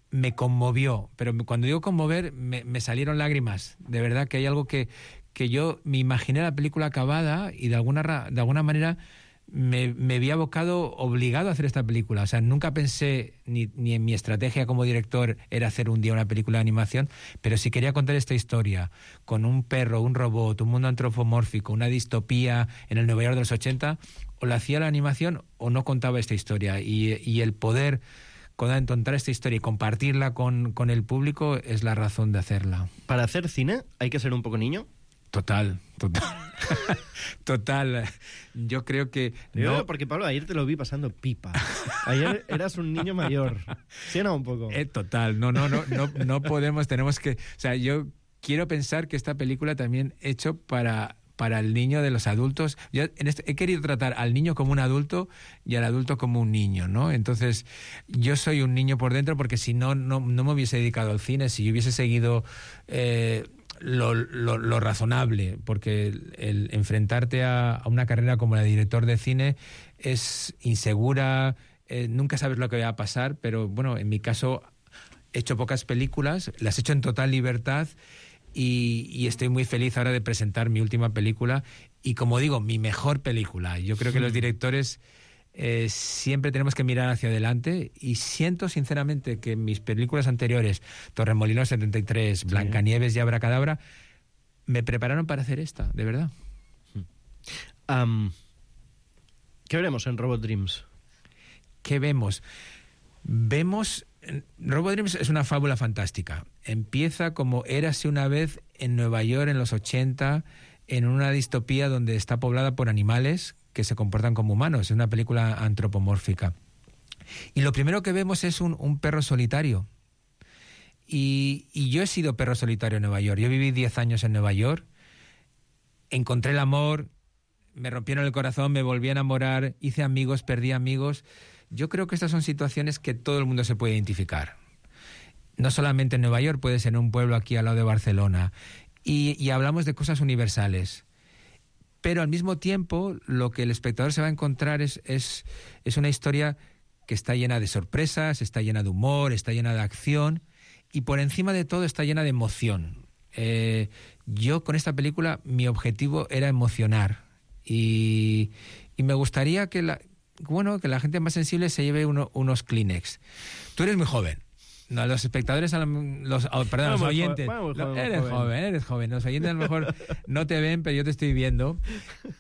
me conmovió. Pero cuando digo conmover, me, me salieron lágrimas. De verdad que hay algo que, que yo me imaginé la película acabada y de alguna, de alguna manera me, me había abocado, obligado a hacer esta película. O sea, nunca pensé, ni, ni en mi estrategia como director era hacer un día una película de animación, pero si quería contar esta historia con un perro, un robot, un mundo antropomórfico, una distopía en el Nueva York de los ochenta, o la hacía la animación o no contaba esta historia. Y, y el poder contar esta historia y compartirla con, con el público es la razón de hacerla. ¿Para hacer cine hay que ser un poco niño? Total, total. Total. Yo creo que... Yo, no... Porque, Pablo, ayer te lo vi pasando pipa. Ayer eras un niño mayor. ¿Sí o no, un poco? Eh, total. No, no, no, no, no podemos, tenemos que... O sea, yo quiero pensar que esta película también hecho para... para el niño de los adultos. Yo en este, he querido tratar al niño como un adulto y al adulto como un niño, ¿no? Entonces, yo soy un niño por dentro porque si no, no, no me hubiese dedicado al cine, si yo hubiese seguido eh, lo, lo, lo razonable, porque el, el enfrentarte a, a una carrera como la de director de cine es insegura, eh, nunca sabes lo que va a pasar, pero bueno, en mi caso he hecho pocas películas, las he hecho en total libertad. Y, y estoy muy feliz ahora de presentar mi última película y, como digo, mi mejor película. Yo creo que los directores eh, siempre tenemos que mirar hacia adelante y siento sinceramente que mis películas anteriores, Torremolinos setenta y tres, Blancanieves y Abracadabra, me prepararon para hacer esta, de verdad. Um, ¿Qué veremos en Robot Dreams? ¿Qué vemos? Vemos... Robot Dreams es una fábula fantástica. Empieza como érase una vez en Nueva York en los ochenta, en una distopía donde está poblada por animales que se comportan como humanos. Es una película antropomórfica. Y lo primero que vemos es un, un perro solitario. Y, y yo he sido perro solitario en Nueva York. Yo viví diez años en Nueva York. Encontré el amor, me rompieron el corazón, me volví a enamorar, hice amigos, perdí amigos. Yo creo que estas son situaciones que todo el mundo se puede identificar. No solamente en Nueva York, puede ser en un pueblo aquí al lado de Barcelona. Y, y hablamos de cosas universales. Pero al mismo tiempo, lo que el espectador se va a encontrar es, es, es una historia que está llena de sorpresas, está llena de humor, está llena de acción y por encima de todo está llena de emoción. Eh, yo con esta película, mi objetivo era emocionar. Y, y me gustaría que la... Bueno, que la gente más sensible se lleve uno, unos Kleenex. Tú eres muy joven. No, los espectadores, los, oh, perdón, no, los oyentes. Joven, no, joven, eres joven. joven, eres joven. Los oyentes a lo mejor no te ven, pero yo te estoy viendo.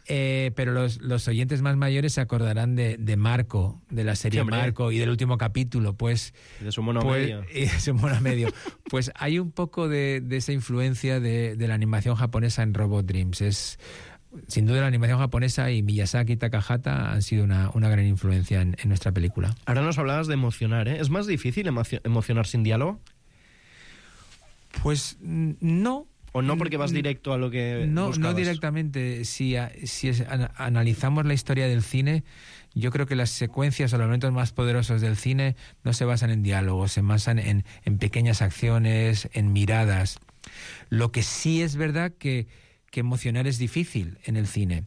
Eh, pero los, los oyentes más mayores se acordarán de, de Marco, de la serie sí, Marco y del último capítulo. Pues, y de su mono pues, medio. Y de su mono medio. Pues hay un poco de, de esa influencia de, de la animación japonesa en Robot Dreams. Es... Sin duda la animación japonesa y Miyazaki y Takahata han sido una, una gran influencia en, en nuestra película. Ahora nos hablabas de emocionar, ¿eh? ¿Es más difícil emocio- emocionar sin diálogo? Pues no. ¿O no porque vas directo a lo que No, buscabas? no directamente. Si, si es, an, analizamos la historia del cine, yo creo que las secuencias o los momentos más poderosos del cine no se basan en diálogos, se basan en, en pequeñas acciones, en miradas. Lo que sí es verdad que que emocionar es difícil en el cine.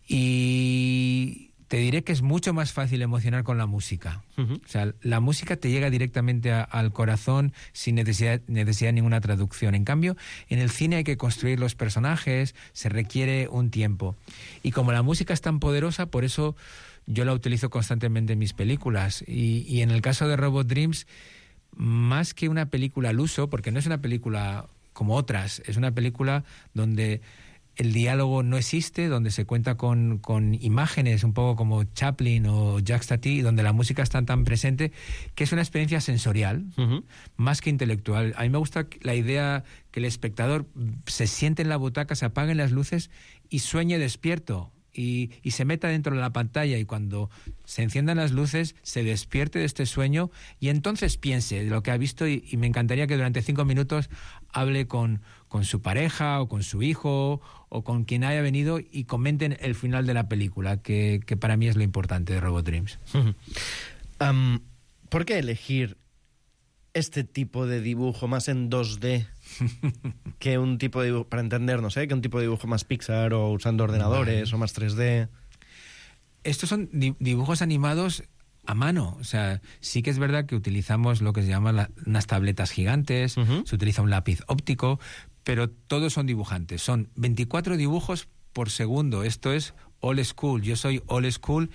Y te diré que es mucho más fácil emocionar con la música. Uh-huh. O sea, la música te llega directamente a, al corazón sin necesidad, necesidad de ninguna traducción. En cambio, en el cine hay que construir los personajes, se requiere un tiempo. Y como la música es tan poderosa, por eso yo la utilizo constantemente en mis películas. Y, y en el caso de Robot Dreams, más que una película al uso, porque no es una película como otras, es una película donde el diálogo no existe, donde se cuenta con, con imágenes, un poco como Chaplin o Jacques Tati, donde la música está tan presente, que es una experiencia sensorial, uh-huh. más que intelectual. A mí me gusta la idea que el espectador se siente en la butaca, se apaguen las luces y sueñe despierto. Y, y se meta dentro de la pantalla, y cuando se enciendan las luces se despierte de este sueño y entonces piense de lo que ha visto, y, y me encantaría que durante cinco minutos hable con, con su pareja o con su hijo o con quien haya venido y comenten el final de la película, que, que para mí es lo importante de Robot Dreams. um, ¿Por qué elegir este tipo de dibujo más en dos D que un tipo de dibujo, para entender, no sé, que un tipo de dibujo más Pixar o usando ordenadores, vale, o más tres D? Estos son dibujos animados a mano. O sea, sí que es verdad que utilizamos lo que se llama la, unas tabletas gigantes, uh-huh. se utiliza un lápiz óptico, pero todos son dibujantes. Son veinticuatro dibujos por segundo. Esto es old school. Yo soy old school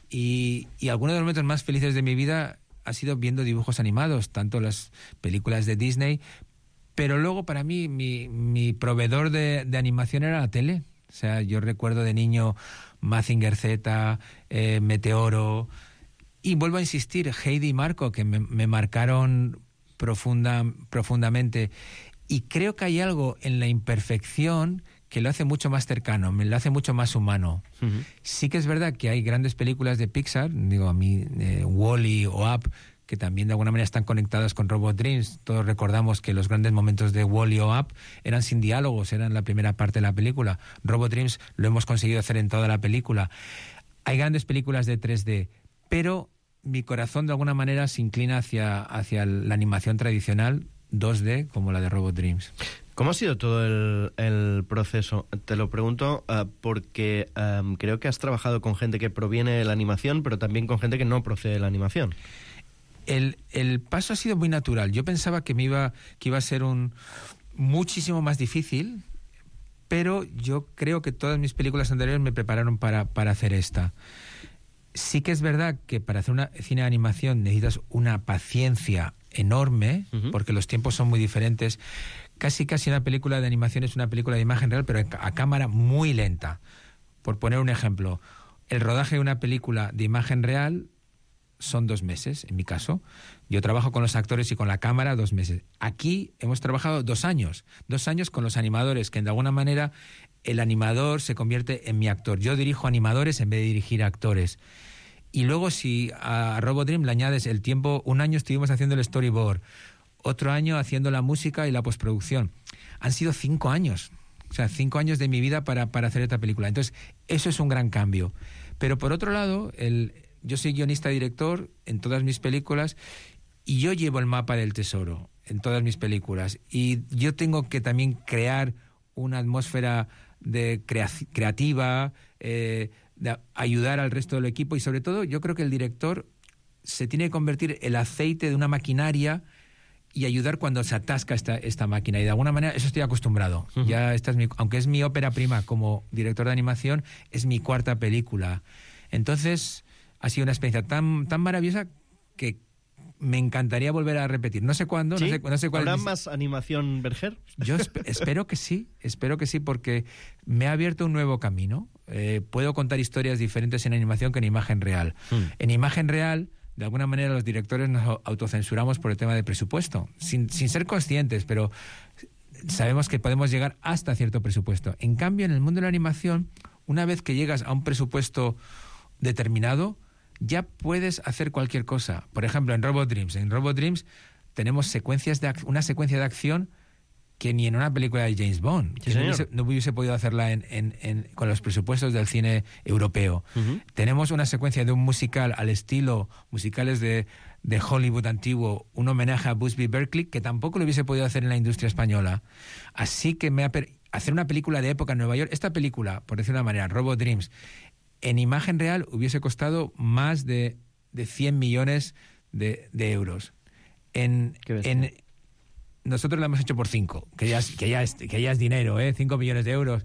y, y algunos de los momentos más felices de mi vida ha sido viendo dibujos animados, tanto las películas de Disney, pero luego para mí mi, mi proveedor de, de animación era la tele. O sea, yo recuerdo de niño Mazinger Z, eh, Meteoro, y vuelvo a insistir, Heidi y Marco, que me, me marcaron profunda, profundamente. Y creo que hay algo en la imperfección que lo hace mucho más cercano, me lo hace mucho más humano. Uh-huh. Sí que es verdad que hay grandes películas de Pixar, digo, a mí, eh, Wall-E o Up, que también de alguna manera están conectadas con Robot Dreams. Todos recordamos que los grandes momentos de Wall-E o Up eran sin diálogos, eran la primera parte de la película. Robot Dreams lo hemos conseguido hacer en toda la película. Hay grandes películas de tres D, pero mi corazón de alguna manera se inclina hacia, hacia la animación tradicional dos D, como la de Robot Dreams. ¿Cómo ha sido todo el, el proceso? Te lo pregunto uh, porque um, creo que has trabajado con gente que proviene de la animación, pero también con gente que no procede de la animación. El, el paso ha sido muy natural. Yo pensaba que me iba, que iba a ser un muchísimo más difícil, pero yo creo que todas mis películas anteriores me prepararon para, para hacer esta. Sí que es verdad que para hacer una cine de animación necesitas una paciencia enorme, uh-huh. porque los tiempos son muy diferentes. Casi casi una película de animación es una película de imagen real, pero a cámara muy lenta. Por poner un ejemplo, el rodaje de una película de imagen real son dos meses, en mi caso. Yo trabajo con los actores y con la cámara dos meses. Aquí hemos trabajado dos años. Dos años con los animadores, que de alguna manera el animador se convierte en mi actor. Yo dirijo animadores en vez de dirigir actores. Y luego si a Robot Dream le añades el tiempo, un año estuvimos haciendo el storyboard, otro año haciendo la música y la postproducción. Han sido cinco años. O sea, cinco años de mi vida para, para hacer esta película. Entonces, eso es un gran cambio. Pero por otro lado, el, yo soy guionista-director en todas mis películas y yo llevo el mapa del tesoro en todas mis películas. Y yo tengo que también crear una atmósfera de crea- creativa, eh, de ayudar al resto del equipo y sobre todo yo creo que el director se tiene que convertir el aceite de una maquinaria y ayudar cuando se atasca esta, esta máquina. Y de alguna manera eso estoy acostumbrado. Uh-huh. Ya esta es mi, aunque es mi ópera prima como director de animación, es mi cuarta película. Entonces ha sido una experiencia tan, tan maravillosa que me encantaría volver a repetir. No sé cuándo, ¿Sí? no sé, no sé cuál. ¿Habrá es mi... más animación Berger? Yo esp- espero que sí, espero que sí, porque me ha abierto un nuevo camino. Eh, puedo contar historias diferentes en animación que en imagen real. Hmm. En imagen real, de alguna manera los directores nos autocensuramos por el tema de presupuesto, sin, sin ser conscientes, pero sabemos que podemos llegar hasta cierto presupuesto. En cambio, en el mundo de la animación, una vez que llegas a un presupuesto determinado, ya puedes hacer cualquier cosa. Por ejemplo, en Robot Dreams. En Robot Dreams tenemos secuencias de ac- una secuencia de acción que ni en una película de James Bond. Sí, no, hubiese, no hubiese podido hacerla en, en, en, con los presupuestos del cine europeo. Uh-huh. Tenemos una secuencia de un musical al estilo musicales de, de Hollywood antiguo, un homenaje a Busby Berkeley, que tampoco lo hubiese podido hacer en la industria española. Así que me ha per- hacer una película de época en Nueva York, esta película, por decir una manera, Robot Dreams, en imagen real hubiese costado más de, de cien millones de, de euros. En, en, nosotros lo hemos hecho por cinco, que ya es, que ya es, que ya es dinero, ¿eh? cinco millones de euros.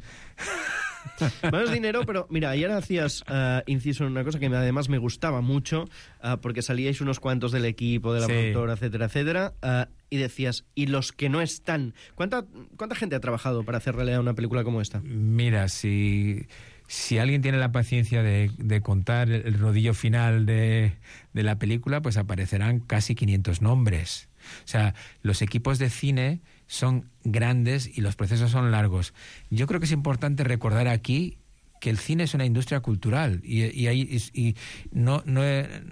No es dinero, pero mira, ayer hacías uh, inciso en una cosa que además me gustaba mucho, uh, porque salíais unos cuantos del equipo, de la Sí. productora, etcétera, etcétera, uh, y decías, y los que no están, ¿cuánta, cuánta gente ha trabajado para hacer realidad una película como esta? Mira, si, si alguien tiene la paciencia de, de contar el rodillo final de, de la película, pues aparecerán casi quinientos nombres. O sea, los equipos de cine son grandes y los procesos son largos. Yo creo que es importante recordar aquí que el cine es una industria cultural y, y, ahí, y, y no, no,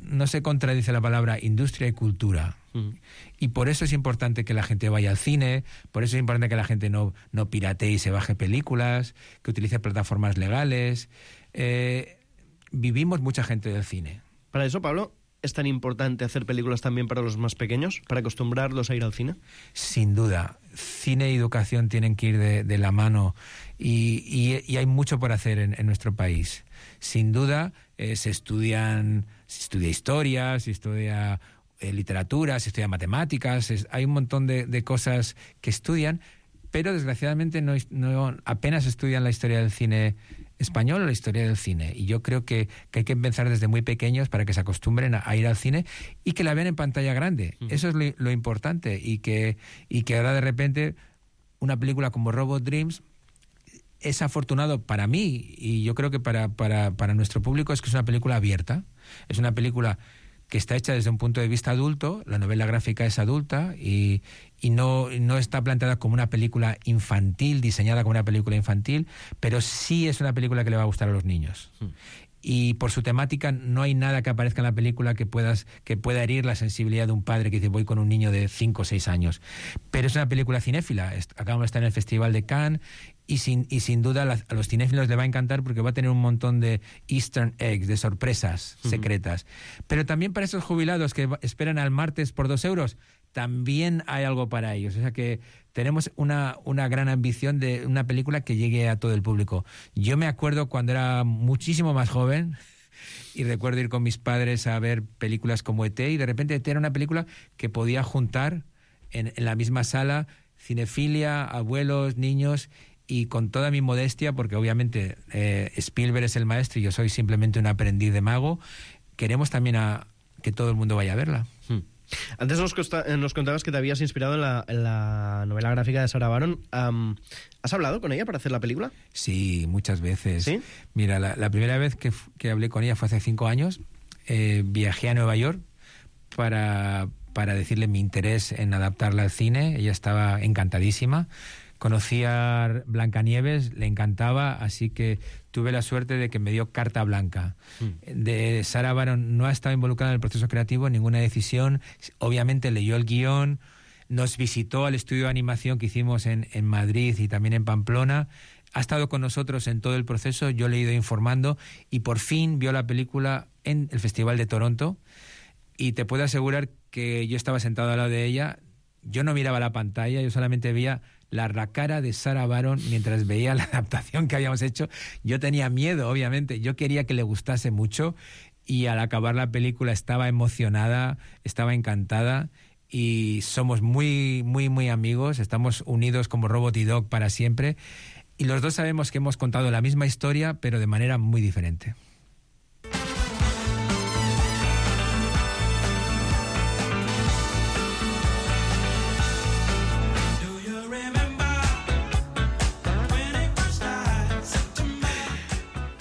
no se contradice la palabra industria y cultura. Mm. Y por eso es importante que la gente vaya al cine, por eso es importante que la gente no, no piratee y se baje películas, que utilice plataformas legales. Eh, vivimos mucha gente del cine. Para eso, Pablo, ¿es tan importante hacer películas también para los más pequeños, para acostumbrarlos a ir al cine? Sin duda. Cine y educación tienen que ir de, de la mano y, y, y hay mucho por hacer en, en nuestro país. Sin duda, eh, se estudian, se estudia historia, se estudia eh, literatura, se estudia matemáticas, es, hay un montón de, de cosas que estudian, pero desgraciadamente no, no apenas estudian la historia del cine español o la historia del cine. Y yo creo que, que hay que empezar desde muy pequeños para que se acostumbren a, a ir al cine y que la vean en pantalla grande. Uh-huh. Eso es lo, lo importante. Y que, y que ahora de repente una película como Robot Dreams es afortunado para mí y yo creo que para, para, para nuestro público es que es una película abierta. Es una película que está hecha desde un punto de vista adulto, la novela gráfica es adulta y, y no, no está planteada como una película infantil, diseñada como una película infantil, pero sí es una película que le va a gustar a los niños. Mm. Y por su temática no hay nada que aparezca en la película que, puedas, que pueda herir la sensibilidad de un padre que dice voy con un niño de cinco o seis años. Pero es una película cinéfila, acabamos de estar en el Festival de Cannes y sin, y sin duda la, a los cinéfilos les va a encantar porque va a tener un montón de easter eggs, de sorpresas uh-huh. secretas. Pero también para esos jubilados que esperan al martes por dos euros, también hay algo para ellos. O sea que tenemos una, una gran ambición de una película que llegue a todo el público. Yo me acuerdo cuando era muchísimo más joven y recuerdo ir con mis padres a ver películas como E T y de repente E T era una película que podía juntar en, en la misma sala cinefilia, abuelos, niños y con toda mi modestia, porque obviamente eh, Spielberg es el maestro y yo soy simplemente un aprendiz de mago, queremos también a que todo el mundo vaya a verla. Hmm. Antes nos, costa, nos contabas que te habías inspirado en la, en la novela gráfica de Sarah Baron. Um, ¿Has hablado con ella para hacer la película? Sí, muchas veces. ¿Sí? Mira, la, la primera vez que, que hablé con ella fue hace cinco años. Eh, viajé a Nueva York para, para decirle mi interés en adaptarla al cine. Ella estaba encantadísima. Conocí a Blancanieves, le encantaba, así que tuve la suerte de que me dio carta blanca. Mm. De Sarah Baron no ha estado involucrada en el proceso creativo, en ninguna decisión. Obviamente leyó el guión, nos visitó al estudio de animación que hicimos en, en Madrid y también en Pamplona. Ha estado con nosotros en todo el proceso, yo le he ido informando y por fin vio la película en el Festival de Toronto. Y te puedo asegurar que yo estaba sentado al lado de ella, yo no miraba la pantalla, yo solamente veía la cara de Sarah Baron mientras veía la adaptación que habíamos hecho. Yo tenía miedo, obviamente. Yo quería que le gustase mucho y al acabar la película estaba emocionada, estaba encantada y somos muy, muy, muy amigos. Estamos unidos como Robot y Dog para siempre y los dos sabemos que hemos contado la misma historia, pero de manera muy diferente.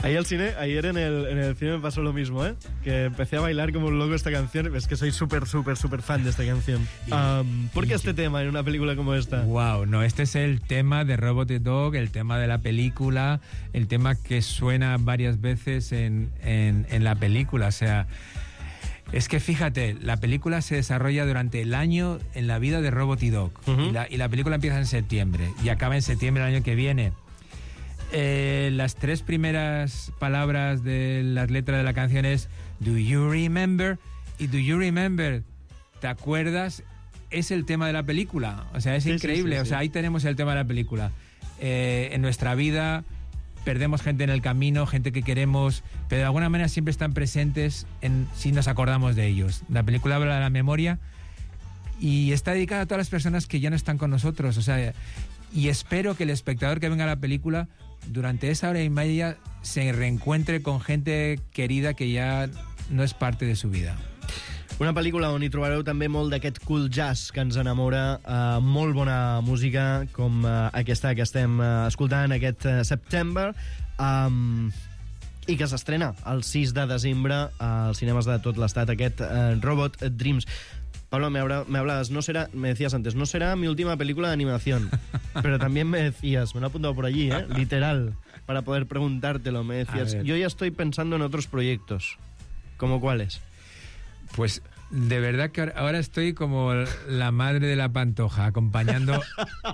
Ahí al cine, ayer en el, en el cine me pasó lo mismo, ¿eh? Que empecé a bailar como un loco esta canción. Es que soy súper, súper, súper fan de esta canción. Um, ¿Por qué este tema en una película como esta? Wow, no, este es el tema de Robot y Dog, el tema de la película, el tema que suena varias veces en, en, en la película. O sea, es que fíjate, la película se desarrolla durante el año en la vida de Robot y Dog. Uh-huh. y, la, y la película empieza en septiembre y acaba en septiembre del año que viene. Eh, las tres primeras palabras de las letras de la canción es Do you remember? Y Do you remember, ¿te acuerdas? Es el tema de la película. O sea, es sí, increíble. Sí, sí, o sea, sí. Ahí tenemos el tema de la película. Eh, en nuestra vida perdemos gente en el camino, gente que queremos, pero de alguna manera siempre están presentes en, si nos acordamos de ellos. La película habla de la memoria y está dedicada a todas las personas que ya no están con nosotros. O sea, y espero que el espectador que venga a la película, durante esa hora y media, se reencuentre con gente querida que ya no és parte de su vida. Una pel·lícula on hi trobareu també molt d'aquest cool jazz que ens enamora, uh, molt bona música com uh, aquesta que estem uh, escoltant aquest uh, September, um, i que s'estrena el sis de desembre als cinemes de tot l'estat, aquest uh, Robot Dreams. Pablo, me, habla, me hablas, no será, me decías antes, no será mi última película de animación, pero también me decías, me lo he apuntado por allí, ¿eh? Literal, para poder preguntártelo, me decías, yo ya estoy pensando en otros proyectos. ¿Cómo cuáles? Pues de verdad que ahora estoy como la madre de la Pantoja, acompañando,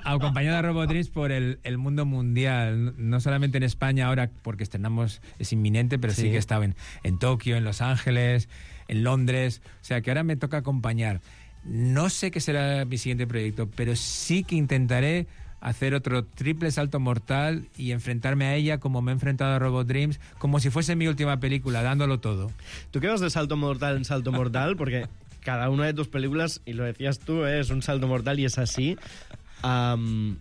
acompañando a Robot Dreams por el, el mundo mundial, no solamente en España ahora, porque estrenamos, es inminente, pero sí, sí que he estado en, en Tokio, en Los Ángeles, en Londres, o sea que ahora me toca acompañar. No sé qué será mi siguiente proyecto, pero sí que intentaré hacer otro triple salto mortal y enfrentarme a ella como me he enfrentado a Robot Dreams, como si fuese mi última película, dándolo todo. ¿Tú qué vas de salto mortal en salto mortal? Porque cada una de tus películas, y lo decías tú, ¿eh? Es un salto mortal y es así. Um,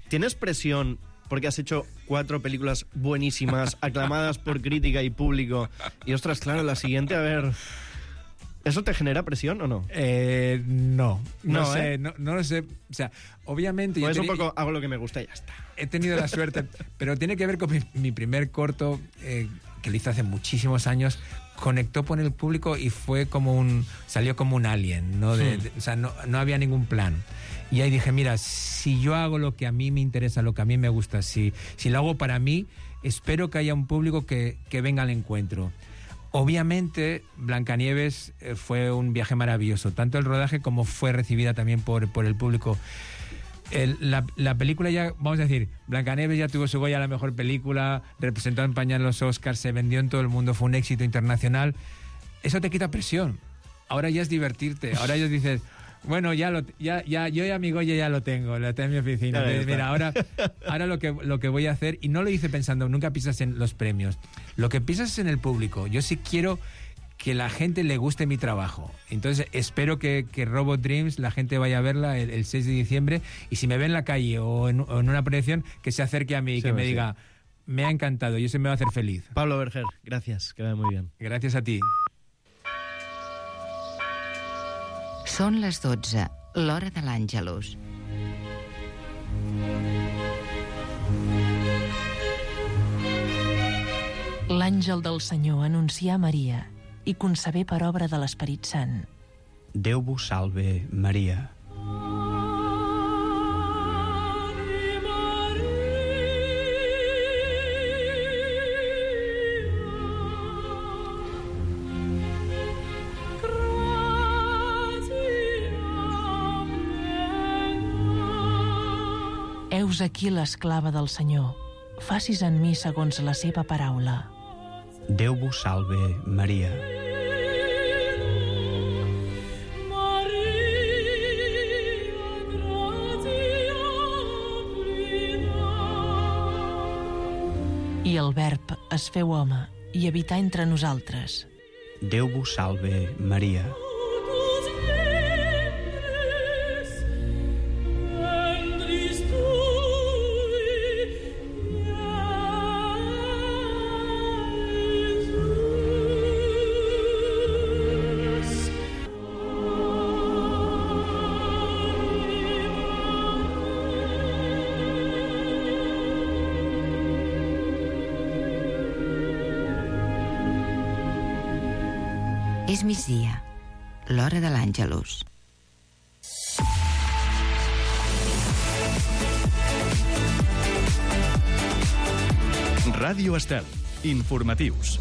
¿Tienes presión porque has hecho cuatro películas buenísimas, aclamadas por crítica y público? Y ostras, claro, la siguiente, a ver... ¿Eso te genera presión o no? Eh, no, no, no sé, ¿eh? no, no lo sé. O sea, obviamente... Pues yo un teni- poco hago lo que me gusta y ya está. He tenido la suerte, pero tiene que ver con mi, mi primer corto, eh, que lo hice hace muchísimos años, conectó con el público y fue como un... salió como un alien, ¿no? De, de, o sea, no, no había ningún plan. Y ahí dije, mira, si yo hago lo que a mí me interesa, lo que a mí me gusta, si, si lo hago para mí, espero que haya un público que, que venga al encuentro. Obviamente, Blancanieves eh, fue un viaje maravilloso, tanto el rodaje como fue recibida también por, por el público. El, la, la película ya, vamos a decir, Blancanieves ya tuvo su Goya a la mejor película, representó a España en los Oscars, se vendió en todo el mundo, fue un éxito internacional. Eso te quita presión. Ahora ya es divertirte, ahora ya dices... Bueno, ya lo, ya, ya, yo y a mi Goya ya lo tengo, lo tengo en mi oficina. Claro, Mira, ahora, ahora lo que lo que voy a hacer, y no lo hice pensando, nunca piensas en los premios. Lo que piensas es en el público. Yo sí quiero que la gente le guste mi trabajo. Entonces, espero que, que Robot Dreams, la gente vaya a verla el, el seis de diciembre, y si me ve en la calle o en, o en una proyección, que se acerque a mí y Sí, que me sí. diga, me ha encantado, y eso me va a hacer feliz. Pablo Berger, gracias, que vaya muy bien. Gracias a ti. Són les dotze, l'hora de l'Àngelus. L'àngel del Senyor anuncià a Maria i concebé per obra de l'Esperit Sant. Déu vos salve, Maria. Heus aquí l'esclava del Senyor. Facis en mi segons la seva paraula. Déu vos salve, Maria. I el Verb es feu home i habità entre nosaltres. Déu vos salve, Maria. És migdia, l'hora de l'Àngelus. Ràdio Estel. Informatius.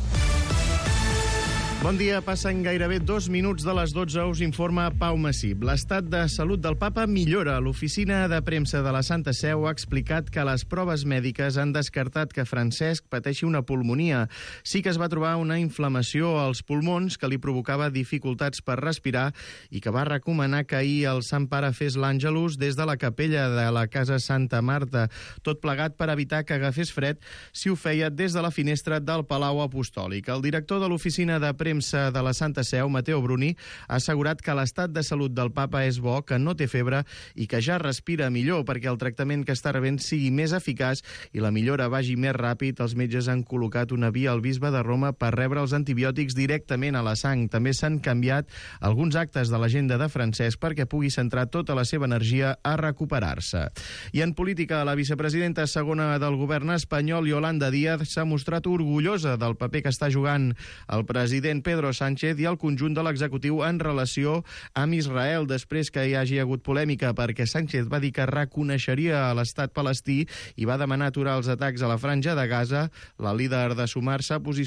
Bon dia, passen gairebé dos minuts de les dotze, us informa Pau Massip. L'estat de salut del papa millora. L'oficina de premsa de la Santa Seu ha explicat que les proves mèdiques han descartat que Francesc pateixi una pulmonia. Sí que es va trobar una inflamació als pulmons que li provocava dificultats per respirar i que va recomanar que ahir el Sant Pare fes l'Àngelus des de la capella de la Casa Santa Marta, tot plegat per evitar que agafés fred si ho feia des de la finestra del Palau Apostòlic. El director de l'oficina de premsa de la Santa Seu, Mateo Bruni, ha assegurat que l'estat de salut del papa és bo, que no té febre i que ja respira millor perquè el tractament que està rebent sigui més eficaç i la millora vagi més ràpid. Els metges han col·locat una via al bisbe de Roma per rebre els antibiòtics directament a la sang. També s'han canviat alguns actes de l'agenda de Francesc perquè pugui centrar tota la seva energia a recuperar-se. I en política, la vicepresidenta segona del govern espanyol, Yolanda Díaz, s'ha mostrat orgullosa del paper que està jugant el president Pedro Sánchez i el conjunt de l'executiu en relació amb Israel, després que hi hagi hagut polèmica perquè Sánchez va dir que reconeixeria l'estat palestí i va demanar aturar els atacs a la franja de Gaza. La líder de Sumar s'ha posicionat